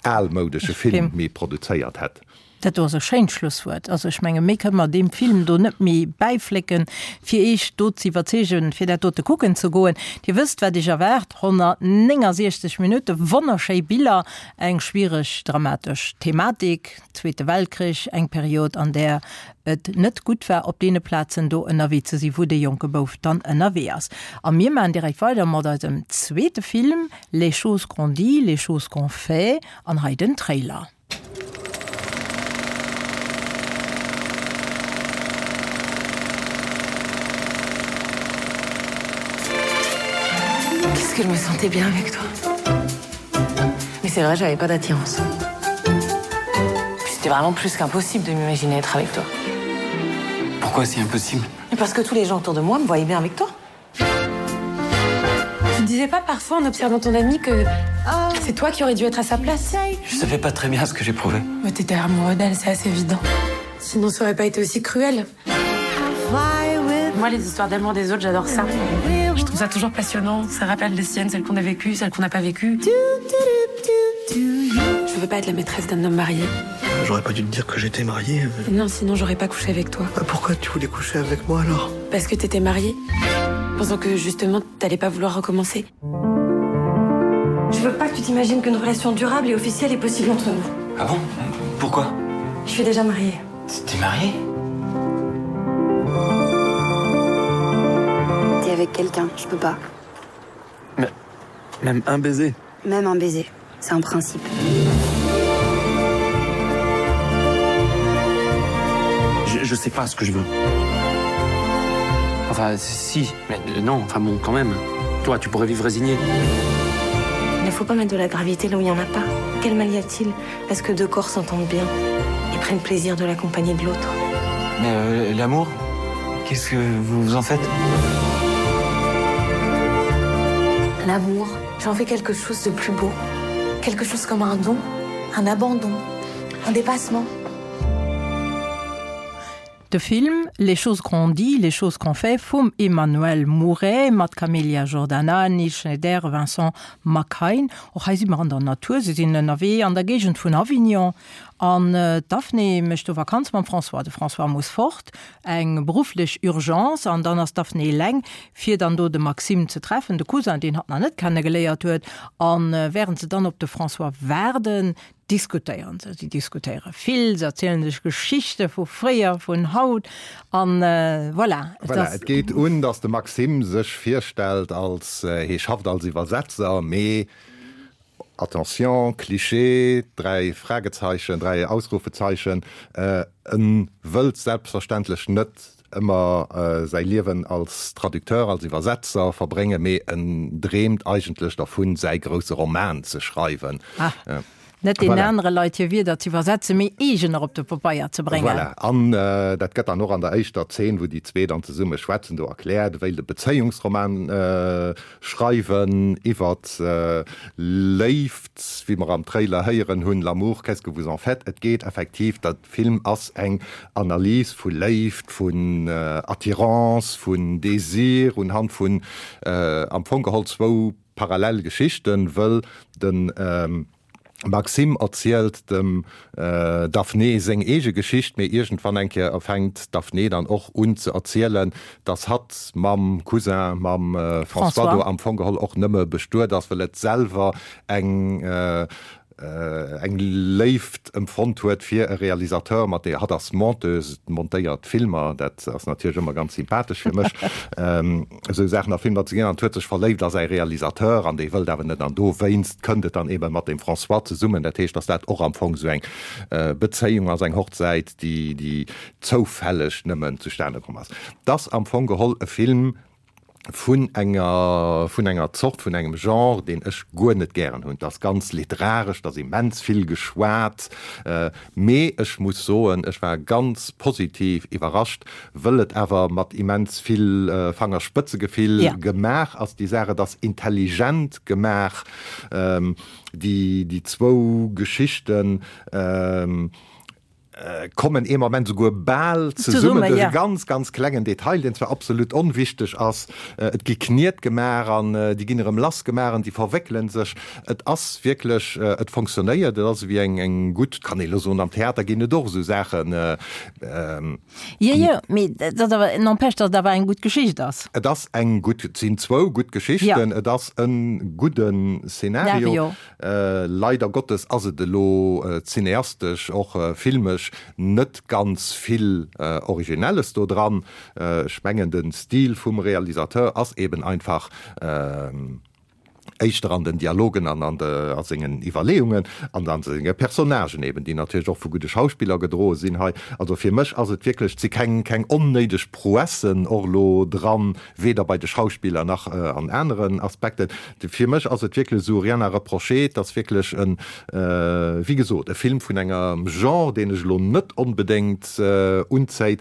almoudesche Film méi produzéiert hätt. Dat do ass e schéint Schlusswuert. Also ech menge méi kënne mer deem Film do net méi bäiflécken, fir Iech do ze iwwerzeegen, fir dat dote kucken ze goen. Dir wësst, wat Iech erwaart, 169 Minutte wonnerschéi Biller, eng schwiereg dramatesch Thematik, Zweete Weltkrich, eng Period, an där et net gutt war, op deene Plazen do ënnerwee ze sinn, wou dee jonke Bouf dann ënnerwee ass. A mir maachen direkt weider mat eisem zweete Film, Les choses qu'on dit, les choses qu'on fait, an hei den Trailer. Qu'est-ce que je me sentais bien avec toi. Mais c'est vrai, j'avais pas d'attirance. C'était vraiment plus qu'impossible de m'imaginer être avec toi. Pourquoi c'est impossible Parce que tous les gens autour de moi me voyaient bien avec toi. Tu ne disais pas parfois en observant ton ami que c'est toi qui aurais dû être à sa place. Je savais pas très bien ce que j'éprouvais. Mais t'étais amoureux d'elle, c'est assez évident. Sinon ça aurait pas été aussi cruel. Moi, les histoires d'amour des autres, j'adore ça. Je trouve ça toujours passionnant. Ça rappelle les siennes, celles qu'on a vécues, celles qu'on n'a pas vécues. Je veux pas être la maîtresse d'un homme marié. J'aurais pas dû te dire que j'étais marié. Non, sinon j'aurais pas couché avec toi. Bah, pourquoi tu voulais coucher avec moi alors Parce que t'étais marié. Pensant que justement t'allais pas vouloir recommencer. Je veux pas que tu t'imagines qu'une relation durable et officielle est possible entre nous. Ah bon Pourquoi Je suis déjà mariée. T'es mariée T'es avec quelqu'un, je peux pas. Mais même un baiser. Même un baiser, c'est un principe. Je, je sais pas ce que je veux. Enfin si, mais euh, non, enfin bon quand même. Toi, tu pourrais vivre résigné. Il ne faut pas mettre de la gravité là où il n'y en a pas. Quel mal y a-t-il à ce que deux corps s'entendent bien et prennent plaisir de la compagnie de l'autre? Mais euh, l'amour, qu'est-ce que vous vous en faites? L'amour, j'en fais quelque chose de plus beau, quelque chose comme un don, un abandon, un dépassement. De Film Les choses qu'on dit, les choses qu'on fait vum Emmanuel Mouret mat Camélia Jordana, Nils Schneider, Vincent Macaigne. Och hei si mer an der Natur, si sinn ënnerwee an der Géigend vun Avignon an d'Daphné mécht do Vakanz mam François. De François muss fort, eng berufflech Urgence, an dann ass d'Daphné eleng, fir dann do de Maxime ze treffen, de Cousin, deen hatt nach net kennegeléiert huet. A wärend se dann op de François waarden, diskutéieren se. Si diskutéiere vill, se erzielen sech Geschichte vu fréier, vun haut an voilà. Et Voilà, et geet un, datt de Maxime sech virstellt als, hie schafft als Iwwersetzer, mee attention, Klischee, 3 Fragezeichen, 3 Ausrufezeichen, en wëllt selbstverständlech net ëmmer säi Liewen als Traducteur, als Iwwersetzer verbréngen, mee en dreemt eigentlech dervun, säi grousse Roman ze schreiwen. Ah. Net deenen anere Leit hir Wierder ze iwwersetzen, mee eegener op de Pabeier ze bréngen. Voilà. An dat gëtt dann och an der éischter Zeen, wou déi zwee dann zesumme schwätzen, do erkläert, e wéilt e Bezéiungsroman schreiwen iwwert Léift, wéi mer am Trailer héieren hunn, L'amour, qu'est-ce que vous en faites? Et geet effektiv, de Film ass eng Analys vu Léift, vun Attirance, vun Désir, unhand vun am Fong geholl zwou Parallel Geschichten, wëll de Maxime erzielt dem Daphné seng eege Geschicht, mee iergendwann eng Kéier fänkt d'Daphné dann och un ze erzielen, dass hatt mam Cousin, mam François do am Fong geholl och nëmme bestuet ass, wëll et selwer eng eng Léift empfonnt huet fir e Realisateur, mat deer hatt ass Monteuse, montéiert Filmer, dat ass natierlech ëmmer ganz sympathesch fir mech, esou Saachen a Filmer ze gesinn, an huet sech verléift a säi Realisateur an dee wëllt awer net an dowéinst kënnt et dann eebe mat dem François zesummen. Dat heescht, datt dat och am Fong esou eng Bezéiung ass, eng Hochzäit, déi déi zoufälleg nëmmen zustane komm ass. 't ass am Fong geholl e Film, vun enger, vun enger Zort, vun engem Genre, deen ech guer net gären hunn. 't ass ganz literaresch, 't ass immens vill geschwat, mee ech muss soen, ech war ganz positiv iwwerrascht, wëll et awer mat immens vill Fangerspëtzegefill gemaach ass, déi Saach. Et ass intelligent gemaach, déi, déi zwou Geschichten. Kommen ee Moment esouguer bal zesummen duerch e ganz, ganz klengen Detail, deen zwar absolut onwichteg ass. Et gi Kniet gemaach an déi ginn erëm lass gemaach an déi verwéckele sech. Et ass wierklech, et fonctionnéiert, et ass ewéi eng, eng gutt, kann ee elo soen, am Theater ginn et och esou Saachen. Jo, jo, mee dat ass awer, n'empêche, datt et awer eng gutt Geschicht ass. Et ass eng gutt, et sinn zwou gutt Geschichten, et ass e gudde Szenario. Leider Gottes ass et elo cineastesch, och filmesch, net ganz vill Originelles do dran. Ech mengen den Stil vum Realisateur ass eben einfach éischter an den Dialogen an an a sengen Iwwerleeungen an an senge Personnagen eben, déi natierlech och vu gudde Schauspiller gedroe sinn hei. Also fir mech ass et wierklech, et si keng keng onnéideg Prouessen och elo dran, weder bei de Schauspiller nach an aneren Aspekten. Fir mech ass et wierklech esou rien à reprocher, et ass wierklech en, wéi gesot, e Film vun engem Genre, deen ech elo net onbedéngt unzéit,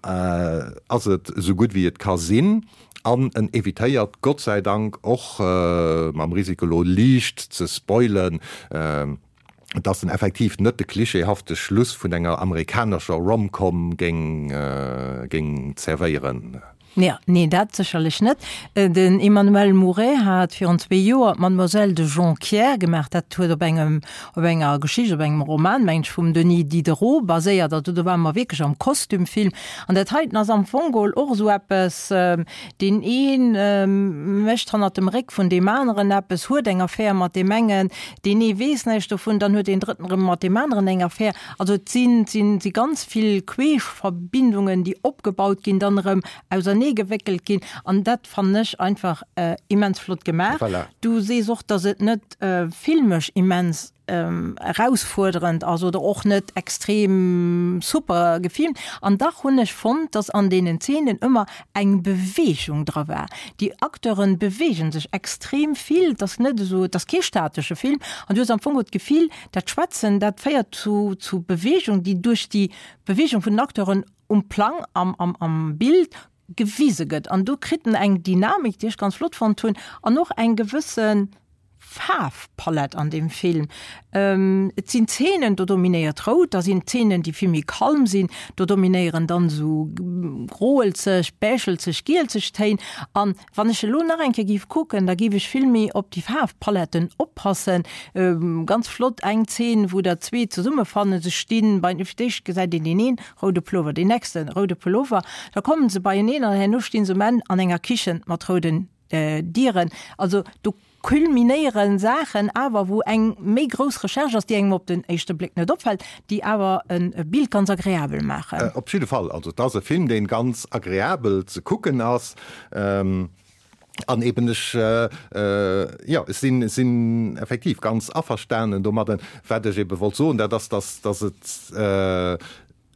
ass et esou gutt wéi et ka sinn an en evitéiert Gott sei Dank och, mam Risiko elo liicht ze spoilen, dass en effektiv net de klischeehafte Schluss vun enger amerikanescher Rom-Com géing géing zerwéieren. Jo, nee, dat sécherlech net. Den Emmanuel Mouret hat virun zwee Joer d'Mademoiselle de Jonquières gemaach. Dat huet op engem, op enger Geschicht, op engem Roman, meng ech, vum Denis Diderot baséiert. Also do ware mer wierklech am Kostümfilm. An dat heiten ass am Fong geholl och esou eppes, deen ee mécht hannert dem Réck vun deem aneren eppes, huet eng Affär mat deem engen, Deen ee weess näischt dovun, dann huet deen Drëtten erëm mat deem aneren eng Affär. Also et sinn, sinn, si ganz vill Queeschverbindungen, déi opgebaut ginn, dann erëm auserneegewéckelt ginn. An dat fannen ech einfach immens flott gemaach. Voilà. Du sees och, datt et net filmesch immens erausfuerderend ass oder och net extrem super gefilmt. An dach hunn ech fonnt, datt an deenen Zeenen ëmmer eng Beweegung dra war. Déi Acteuren beweegen sech extrem vill, et ass net esou, et ass kee statesche Film an du hues am Fong och d'Gefill, dat Schwätzen, dat féiert zu zu Beweegung, déi duerch déi Beweegung vun den Acteuren um Plang, am am am Bild gewise gëtt an do kritt en eng Dynamik, déi ech ganz flott fonnt hunn an och eng gewëssen Faarfpalett an deem Film. Et sinn Zeenen, do dominéiert Rout, da sinn Zeenen, déi vill méi kalm sinn, do dominéieren dann esou groelzeg, beichelzeg, gielzeg Téin. An wann ech elo nach eng Kéier géif kucken, da géif ech vill méi op déi Faarfpaletten oppassen. Ganz flott eng Zeen, wou der zwee zesummefannen, se stinn bei, fir d'éischt gesäit een deen een roude Pullover, deen nächste roude Pullover, da kommen se beieneen an herno stinn se um Enn an enger Kichen mat rouden Dieren. Also do kulminéiere Saachen awer, wou eng méi grouss Recherche ass, déi engem op den éischte Bléck net opfält, déi awer e Bild ganz agreabel maachen. Op jidde Fall. Also et ass e Film, dee ganz agreabel ze kucken ass. An eben ech, jo, ech sinn, sinn effektiv ganz averstanen domadden. Wat ech ebe wollt soen, dat ass, dass, dass et.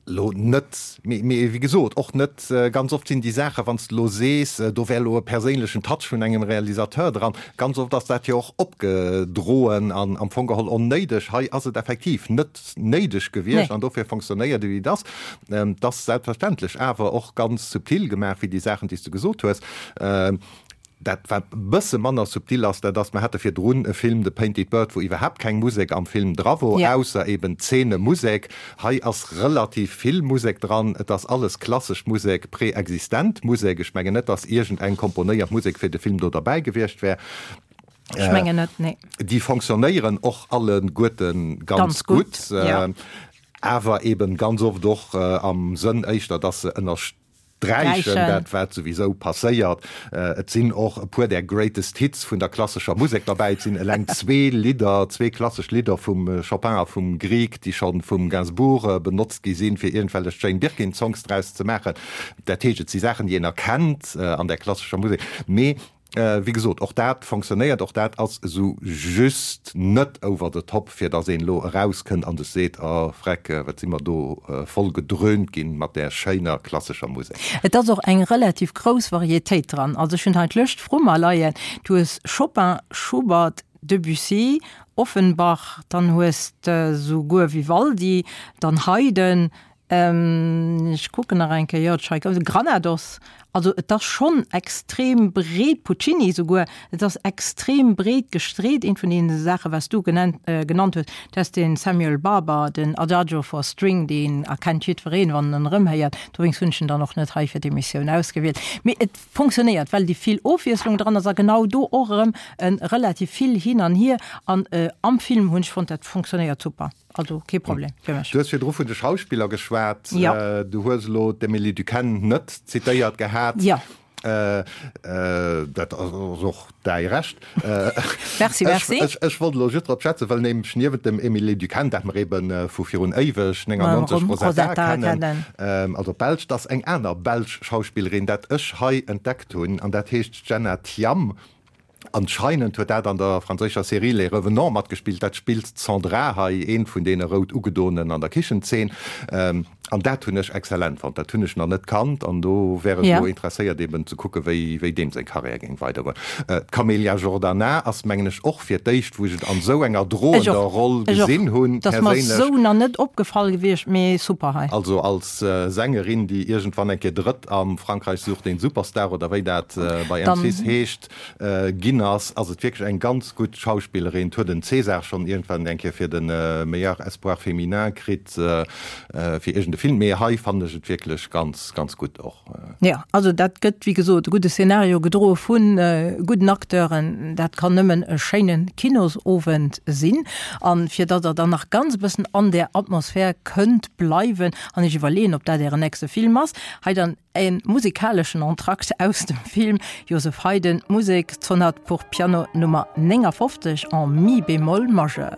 Lo net, mee, mee wéi gesot, och net ganz oft sinn déi Saachen, wann s de lo sees, do wär elo e perséinlechen Touch vun engem Realisateur dran, ganz oft ass dat jo och opgedroen an am Fong geholl onnéideg. Hei ass et effektiv net néideg gewiescht an dofir fonctionnéiert et, wéi et ass. Et ass selbstverständlech awer och ganz subtil gemaach, wéi déi Saachen, déi s de gesot hues. Dat, wat e bësse manner subtil ass, dat ass, mer hate virdrun e Film, The Painted Bird, wou iwwerhaapt keng Musek am Film dra wor, ausser eben Zeenemusek. Hei ass relativ vill Musek dran. Et ass alles klassesch Musek, preexistent Musek. Ech mengen net, dass iergendeng komponéiert Musek fir de Film do derbäi gewiescht wär. Ech mengen net, nee. Déi fonctionnéieren och alleguerte ganz gutt, awer eben ganz oft och am Sënn éischter, dass se ënner. Sträichen, dat wat souwisou passéiert. Et sinn och e puer där Greatest Hits vun der klassescher Musek derbäi. Et sinn eleng zwee Lidder, zwee klassesch Lidder vum Chopin a vum Grieg, déi scho vum Gainsbourg benotzt gi sinn, fir iergendwellech Jane Birkin Songs draus ze maachen. Dat heescht, et si Saachen, déi een erkennt an där klassescher Musek. Mee Wéi gesot, och dat fonctionnéiert, och dat ass esou just net over the top, fir datt een elo erauskënnt an sech seet, oh vreck, wat si mer do voll gedröhnt ginn mat där schéiner klassescher Musek. Et ass och eng relativ grouss Varietéit dran. Also ech hunn hei d'Lëscht vru mer leien. Du hues Chopin, Schubert, Debussy, Offenbach, dann hues de souguer Vivaldi, dann Haydn, Ech kucken nach eng Kéier, jo, Tschaikowski, Granados, also et ass schonn extrem breet, Puccini souguer, et ass extrem breet gestreet. Eent vun deene Saache wat s du genennt, genannt hues, dat ass de Samuel Barber, den Adagio for String, deen erkennt jiddwereen, wann en en erëmhéiert. Dowéinst hunn ech en dann och net hei fir d'Emissioun ausgewielt. Mee et fonctionnéiert, well déi vill Ofwiesslung dran ass a genau do och erëm e relativ vill hin an hier. An am Film hunn ech fonnt, dat fonctionnéiert super. Also kee Problem fir mech. Du hues virdru vun de Schauspiller geschwat. Ja. Du hues elo d'Emilie Duquenne net zitéiert gehat. Ja. Dat ass och däi Recht. Merci, merci. Ech, ech wollt elo just drop schwätzen, well nämlech niewent dem Emilie Duquenne, dat mer ebe vu virun éiweg, 99, Rosetta kennen, also d'Belsch, dass eng aner belsch Schauspillerin, dat ech hei entdeckt hunn, an dat heescht Jenna Thiam. Anscheinend huet dat an der franséischer Serie Les Revenants matgespillt. Dat spillt d'Sandra hei, eent vun deene rout ugedoenen an der Kichenzeen. An dat hunn ech exzellent fonnt. Dat hunn ech nach net kannt an do wär ech elo interesséiert eben ze kucke wéi wéi deem seng Karriär géing weidergoen. D'Camélia Jordana ass mengen ech och fir d'éischt wou ech et an esou enger droender Roll gesinn hunn perséinlech. Dat ass mer esou nach net opgefall gewiescht, mee super hei. Also als Sängerin déi iergendwann eng Kéier Drëtt am Frankreich sucht den Superstar oder wéi dat bei M6 heescht, Ginn ass, ass et wierklech eng ganz gutt Schauspillerin. Huet en César schonn iergendwann eng Kéier fir de Meilleur Espoir Féminin kritt fir iergend e Film, mee hei fannen ech et wierklech ganz, ganz gutt och. Jo, also dat gëtt wéi gesot e gudde Szenario, gedroe vu gudden Acteuren. Dat kann nëmmen e schéine Kinosowend sinn. A fir datt Der dann nach ganz e bëssen an där Atmosphär kënnt bleiwen an Iech iwwerleeën, ob dat Ären nächste Film ass, hei dann E musikaleschen Entracte aus dem Film Joseph Haydn, Musek, Sonate pour piano Nummer 59 en mi bémol majeur.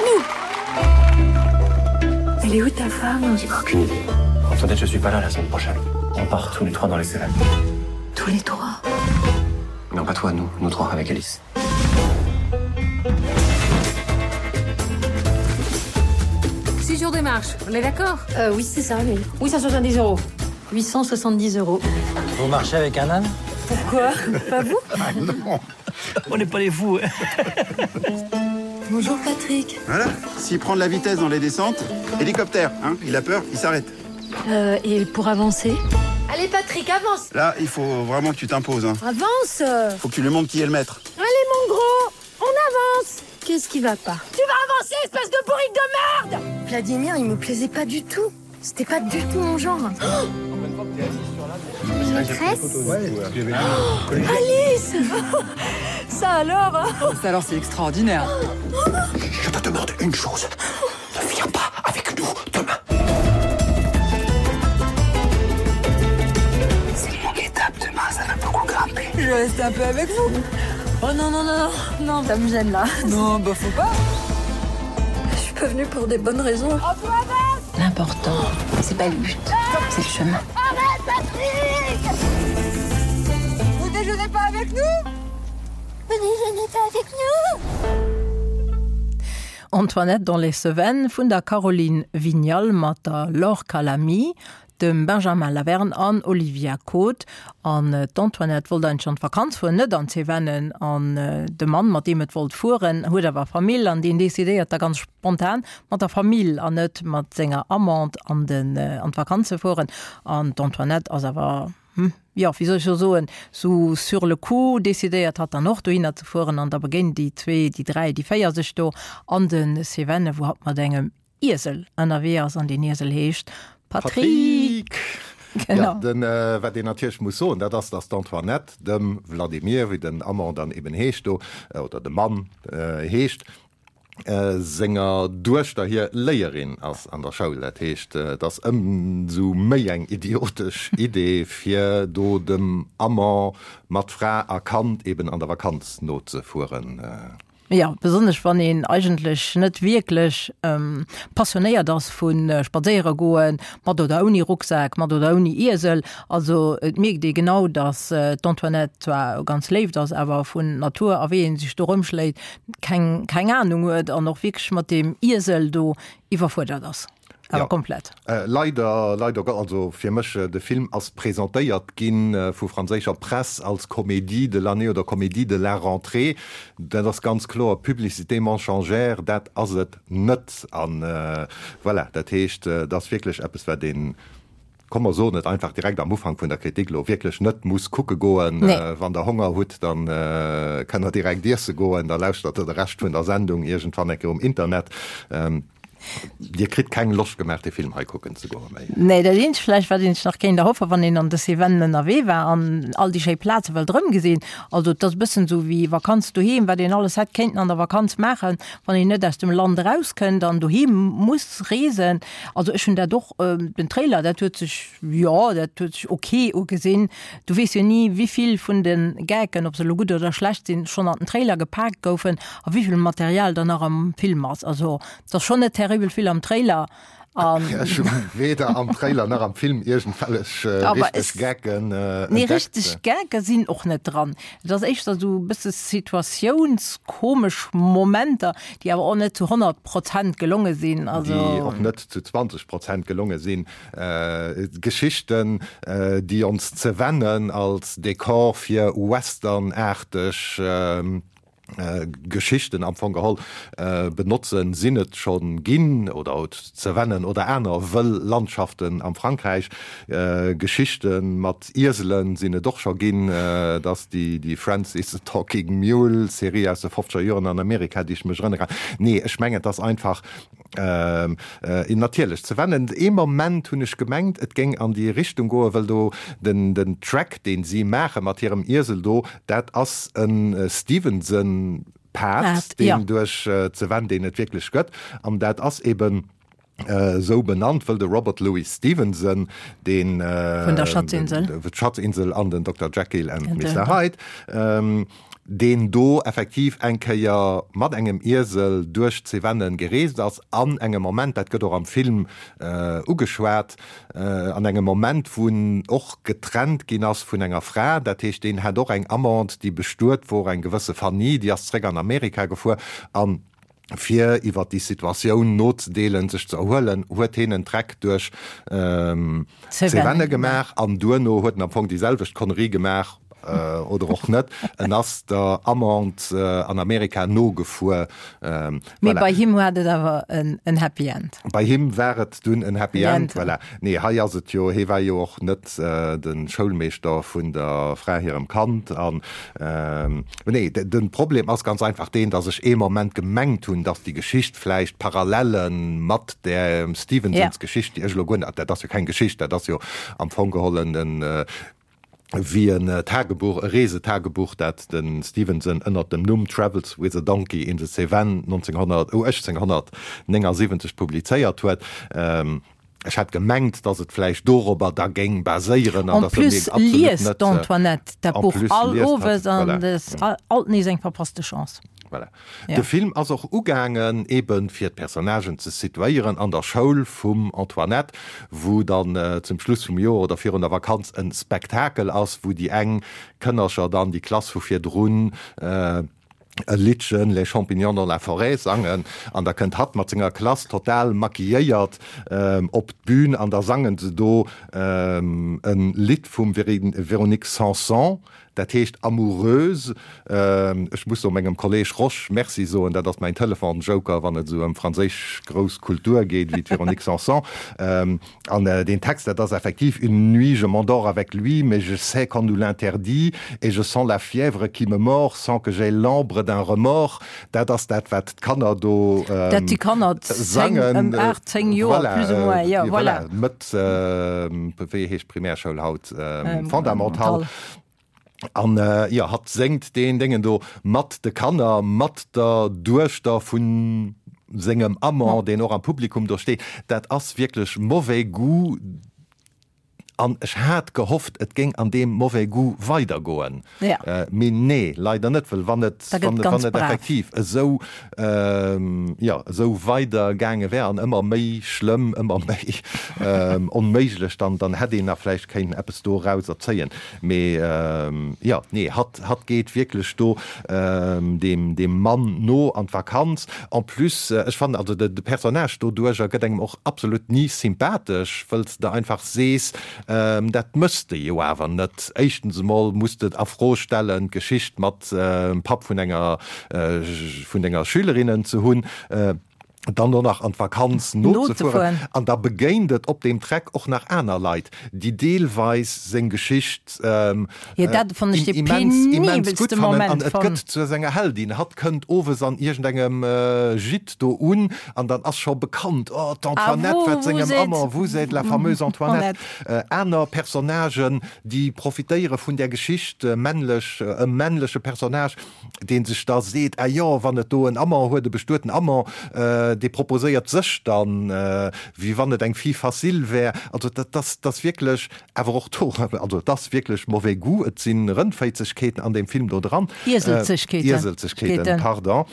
nous Elle est où ta femme J'ai aucune idée. Antoinette, je suis pas là la semaine prochaine. On part tous les trois dans les Cévennes. Tous les trois Non, pas toi, nous, nous trois avec Alice. Six jours de marche, on est d'accord euh, Oui, c'est ça, oui. 870 euros. 870 euros. Vous marchez avec un âne Pourquoi Pas vous ah, non. On n'est pas les fous. Bonjour Patrick. Voilà, s'il prend de la vitesse dans les descentes, hélicoptère, hein, il a peur, il s'arrête. Euh, et pour avancer Allez Patrick, avance Là, il faut vraiment que tu t'imposes. Hein. Avance Faut que tu lui montres qui est le maître. Allez mon gros, on avance Qu'est-ce qui va pas Tu vas avancer, espèce de bourrique de merde Vladimir, il me plaisait pas du tout. C'était pas du tout mon genre. Oh Maîtresse oh, Alice Ça alors hein Ça alors c'est extraordinaire. Je te demande une chose. Ne viens pas avec nous demain. C'est une longue étape demain, ça va beaucoup grimper. Je vais rester un peu avec vous. Oh non non non non, non ça me gêne là. Non bah faut pas. Je suis pas venue pour des bonnes raisons. L'important, c'est pas le but, c'est le chemin. Arrête Patrick Vous déjeunez pas avec nous Vous déjeunez pas avec nous Antoinette dans les Cévennes vun der Caroline Vignal mat der Laure Calamy, dem Benjamin Laverne an Olivia Côte. An d'Antoinette wollt eigentlech an d'Vakanz fueren, net an d'Cevennen. An de Mann, mat deem et wollt fueren, huet awer Famill an deen decidéiert da ganz spontan mat der Famill an net mat senger Amante an den an d'Vakanz ze fueren. An d'Antoinette ass awer, hm, jo, wéi soll ech elo soen, sou sur le coup decidéiert hatt dann och dohinner ze fueren. An da begéinen déi zwee, déi dräi, déi véier sech do an de Cevennen, wou hatt mat engem Iesel ënnerwee ass an deen Iesel heescht Patrick. Genau. Ja, den, wat een natierlech muss soen, dat ass, datt d'Antoinette dem Vladimir, wéi den Amant dann eben heescht do, oder de Mann heescht, senger Duechter hir Léierin ass an der Schoul. Dat heescht, et ass ëmsou méi eng idiotesch Idee, fir do dem Amant mat Fra a Kand eben an der Vakanz nozefueren. Jo, besonnesch wann een eigentlech net wierklech passionéiert ass vu spadséiere goen, mat oder ouni Rucksak, mat oder ouni Iesel. Also et mierkt ee genau, datt d'Antoinette zwar ganz léift ass, awer vun Natur a wéi ee sech do rëmschléit, keng keng Anung huet an och wierklech mat deem Iesel do iwwerfuerdert ass. Awer Ja. komplett. Leider, leider Gott, also fir mech, de Film ass presentéiert gi vu franséischer Press als Comédie de l'année oder Comédie de la rentrée. Dat ass ganz kloer Publicité mensongère, dat ass et net. An voilà, dat heescht, et ass wierklech eppes, wat een, Komm mer soen et einfach direkt am Ufank vun der Kritik elo, wierklech net muss kucke goen. Nee. Wann der Honger hutt, dann kënnt der direkt iesse goen, da lauschtert der de Rescht vun der Sendung iergendwann eng Kéier um Internet. Dir kritt keng Loscht gemaach, dee Film hei kucken ze goen méi. Nee, dat eenzegt vläicht, wat een sech nach kéint erhoffen, wann een an de Cevennen ënnerwee war an all déi schéi Plaze wëllt erëmgesinn, also et ass e bëssen esou wéi Vakanz doheem, wat een alles hätt kéinten an der Vakanz maachen, wann een net aus dem Land erauskënnt an doheem muss reesen. Also ech hunn dat och, den Trailer, dat huet sech, jo, dat huet sech ok ugesinn. Du weess jo ni, wivill vun de Gaggen, ob se elo gutt oder schlecht sinn, schonn an den Trailer gepaakt goufen a wivill Material dann nach am Film ass. Also et ass schonn net terribel vill am Trailer. An Ech hu weder am Trailer nach am Film iergendwellech richteg Gaggen entdeckt. Nee, richteg Gagge sinn och net dran. Et ass éischter esou e bësse situatiounskomesch Momenter, déi awer och net zu 100 Prozent gelonge sinn. Also. Déi och net zu 20 Prozent gelonge sinn. Geschichten, déi ons d'Cevennen als Dekor fir Western-aarteg Geschichten am Fong geholl benotzen, sinn et scho ginn, oder d'Cevennen oder aner wëll Landschaften am Frankräich. Geschichte mat Ieselen sinn et och scho ginn, et ass déi Francis the Talking Mule Serie aus de fofzeger Joren an Amerika, déi ech mech erënnere kann. Nee, ech mengen, et ass einfach natierlech d'Cevennen. Ee Moment hunn ech gemengt, et géing an déi Richtung goen, well do den Track, deen si maache mat hirem Iesel do, dat ass e Stevenson-Pad, deen duerch d'Cevennes, deen et wierklech gëtt, an dat ass eben. Esou benannt, wëll de Robert Louis Stevenson, deen Vun der Schatzinsel. D'Schatzinsel an den Dokter Jekyll and Mister Hyde, deen do effektiv eng Kéier mat engem Iesel duerch d'Cevennen gereest ass, an engem Moment, dat gëtt och am Film ugeschwat, an engem Moment, wou en och getrennt ginn ass vun enger Fra, dat heescht, deen hat och eng Amante, déi bestuet wor, eng gewësse Fanny, déi ass zréck an Amerika gefuer an fir iwwer déi Situatioun nozedeelen, sech ze erhuelen, huet heen en Treck duerch d'Cévennes gemaach an duerno huet en am Fong déi selwecht Connerie gemaach, oder och net, en ass der Amante an Amerika nogefuer. Mee bei him hat et awer en Happy End. Bei him war et dunn en Happy End, voilà. Nee, hei ass et jo, hee war jo och net de Schoulmeeschter vun der Fra hirem Kand an Nee, de Problem ass ganz einfach deen, datt ech ee Moment gemengt hunn, datt déi Geschicht vläicht Parallele mat där Stevensons Geschicht, déi ech elo guer net, dat ass jo keng Geschicht, dat ass jo am Fong gehollen en, wéi en Tagebuch, e Reesetagebuch, dat de Stevenson ënnert dem Numm Travels with a Donkey in the Cévennes 1900, oh, 1879 publizéiert huet. Ech hat gemengt, dass et vläicht dorobber da géing baséieren an dass e mir absolut net. En plus liest d'Antoinette dat Buch all owes an et ass alt nees eng verpasste Chance. Voilà. De Film ass och ugaangen, eben fir d'Personnagen ze situéieren an der Schoul vum Antoinette, wou dann zum Schluss vum Joer oder virun der Vakanz e Spektakel ass, wou déi eng Kënnercher dann déi Klass vu virdrun, e Liddchen Les champignons dans la forêt sangen an da kënnt hatt mat senger Klass total maquilléiert op d'Bün an da sangen se do e Lidd vum Véronique Sanson, dat heescht Amoureuse. Ech muss do mengem Kolleg Rosch Merci soen, dat ass mäin Telefonsjoker, wann et esou ëm franséisch grouss Kultur geet, wéi d'Véronique Sanson. An deen Text, dat ass effektiv, Une nuit je m'endors avec lui, mais je sais qu'on nous l'interdit, et je sens la fièvre qui me mord sans que j'aie l'ombre d'un remords. Dat ass dat, wat d'Kanner do sangen. Dat déi Kanner zéng, ëm aacht, zéng Joer plus ou moins, jo, voilà. Mëtt, wéi heescht d'Primärschoul haut? Fondamental. An jo, hatt séngt deen Déngen do mat de Kanner, mat der Duechter vu sengem Amant, deen och am Publikum do steet. Dat ass wierklech mauvais goût. An ech hat gehofft, et géing an deem mauvais goût weidergoen. Mee nee, leider net, well wann et, wann et effektiv esou, jo, esou weider gaange wär an ëmmer méi schlëmm, ëmmer méi onméiglech, dann, dann hätt een nach vläicht kéinten eppes dorauser zéien. Mee jo, nee, hatt, hatt geet wierklech do deem, deem Mann no an d'Vakanz. En plus, ech fannen, also de, de Personnage doduercher gëtt engem och absolut ni sympathesch, wëll s de einfach sees, dat mëss de jo awer net. Éischtens emol muss de a Fro stellen, d'Geschicht mat Papp vun enger, vun denger Schülerinnen ze hunn. Dann och nach an d'Vakanz nozefueren. An da begéint et op deem Treck och nach aner Leit, déi deelweis seng Geschicht immens, immens gutt fannen. An et gëtt zu senger Heldin. Hatt kënnt owes an iergendengem Gîte do un an dann ass scho bekannt, Oh, d'Antoinette, wat sengem Amant, vous êtes la fameuse Antoinette. Aner Personnagen, déi profitéiere vun där Geschicht, männlech, e männleche Personnage, dee sech da seet, ah jo, wann et do en Amant huet, e bestueten Amant, dee proposéiert sech dann, wéi wann et eng Fille facile wär. Also dat ass, dat ass wierklech awer och do, also et ass wierklech mauvais goût, et si Rëndféizegkeeten an deem Film do dran. Ieselzegkeeten. Ieselzegkeeten, pardon.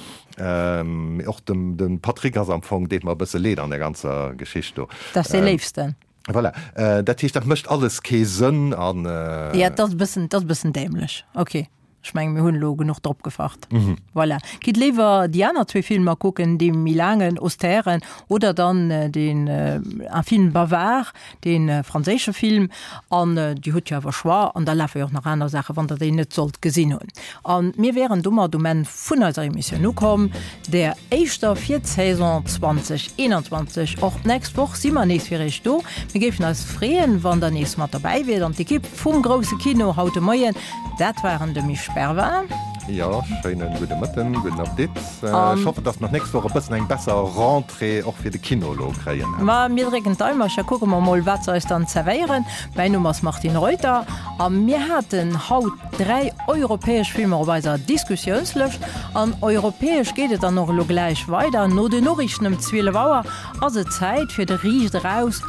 Mee och dem, de Patrick ass am Fong, deet mer e bësse leed an där ganzer Geschicht do. Dat ass dee Léifsten. Voilà, dat heescht, dat mécht alles kee Sënn an. Jo, et ass e bëssen, et ass e bëssen dämlech. Ok. Ech mengen, mir hunn elo genuch drop gefacht. Mhm. Voilà. Gitt léiwer déi aner zwee Filmer kucken, dee méi laangen, austären, oder dann äh, den äh, Un film bavard, dee äh, franséische Film. An äh, Dir hutt jo awer Choix, an da lafe jo och nach aner Saachen, wann Der déi net sollt gesinn hunn. An mir wären domat um Enn vun eiser Emissioun ukomm, der éischter fir d'Saison 2021. Och d'nächst Woch si mer nees fir Iech do. Mir géifen eis freeën, wann Der nees mat dobäi wiert. An d'Ekipp vum Grousse Kino haut de Moien, Dat waren de Misch Bervin. Jo, schéine gudde Mëtten, gudden Appetit. Ech hoffen, dass mer d'nächst Woch e bëssen eng besser Rentrée och fir de Kino elo kréien. Ma mir drécken d'Daimercher, kucke mer mol, wat se eis dann zerwéieren. Mäin Numm ass Martine Reuter a mir haten haut 3 europäesch Filmer op eiser Diskussiounslëscht. An europäesch geet et dann och elo gläich weider. No den Noriichten ëm 12 Auer ass et Zäit fir de Riicht eraus,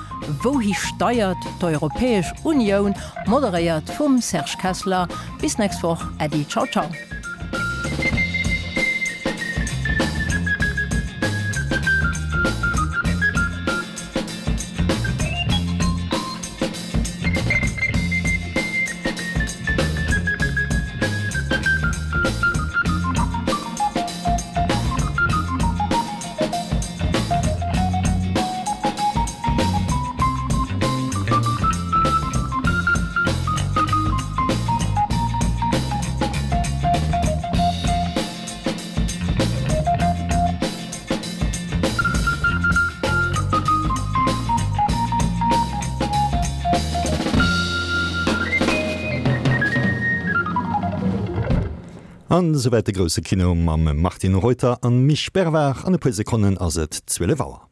Wouhi steiert d'Europäesch Unioun? Moderéiert vum Serge Kessler. Bis nächst Woch, Äddi, ciao ciao. An esouwäit de grousse Kino mam Martine Reuter an Misch Bervard. An e puer Sekonnen ass et 12 Auer.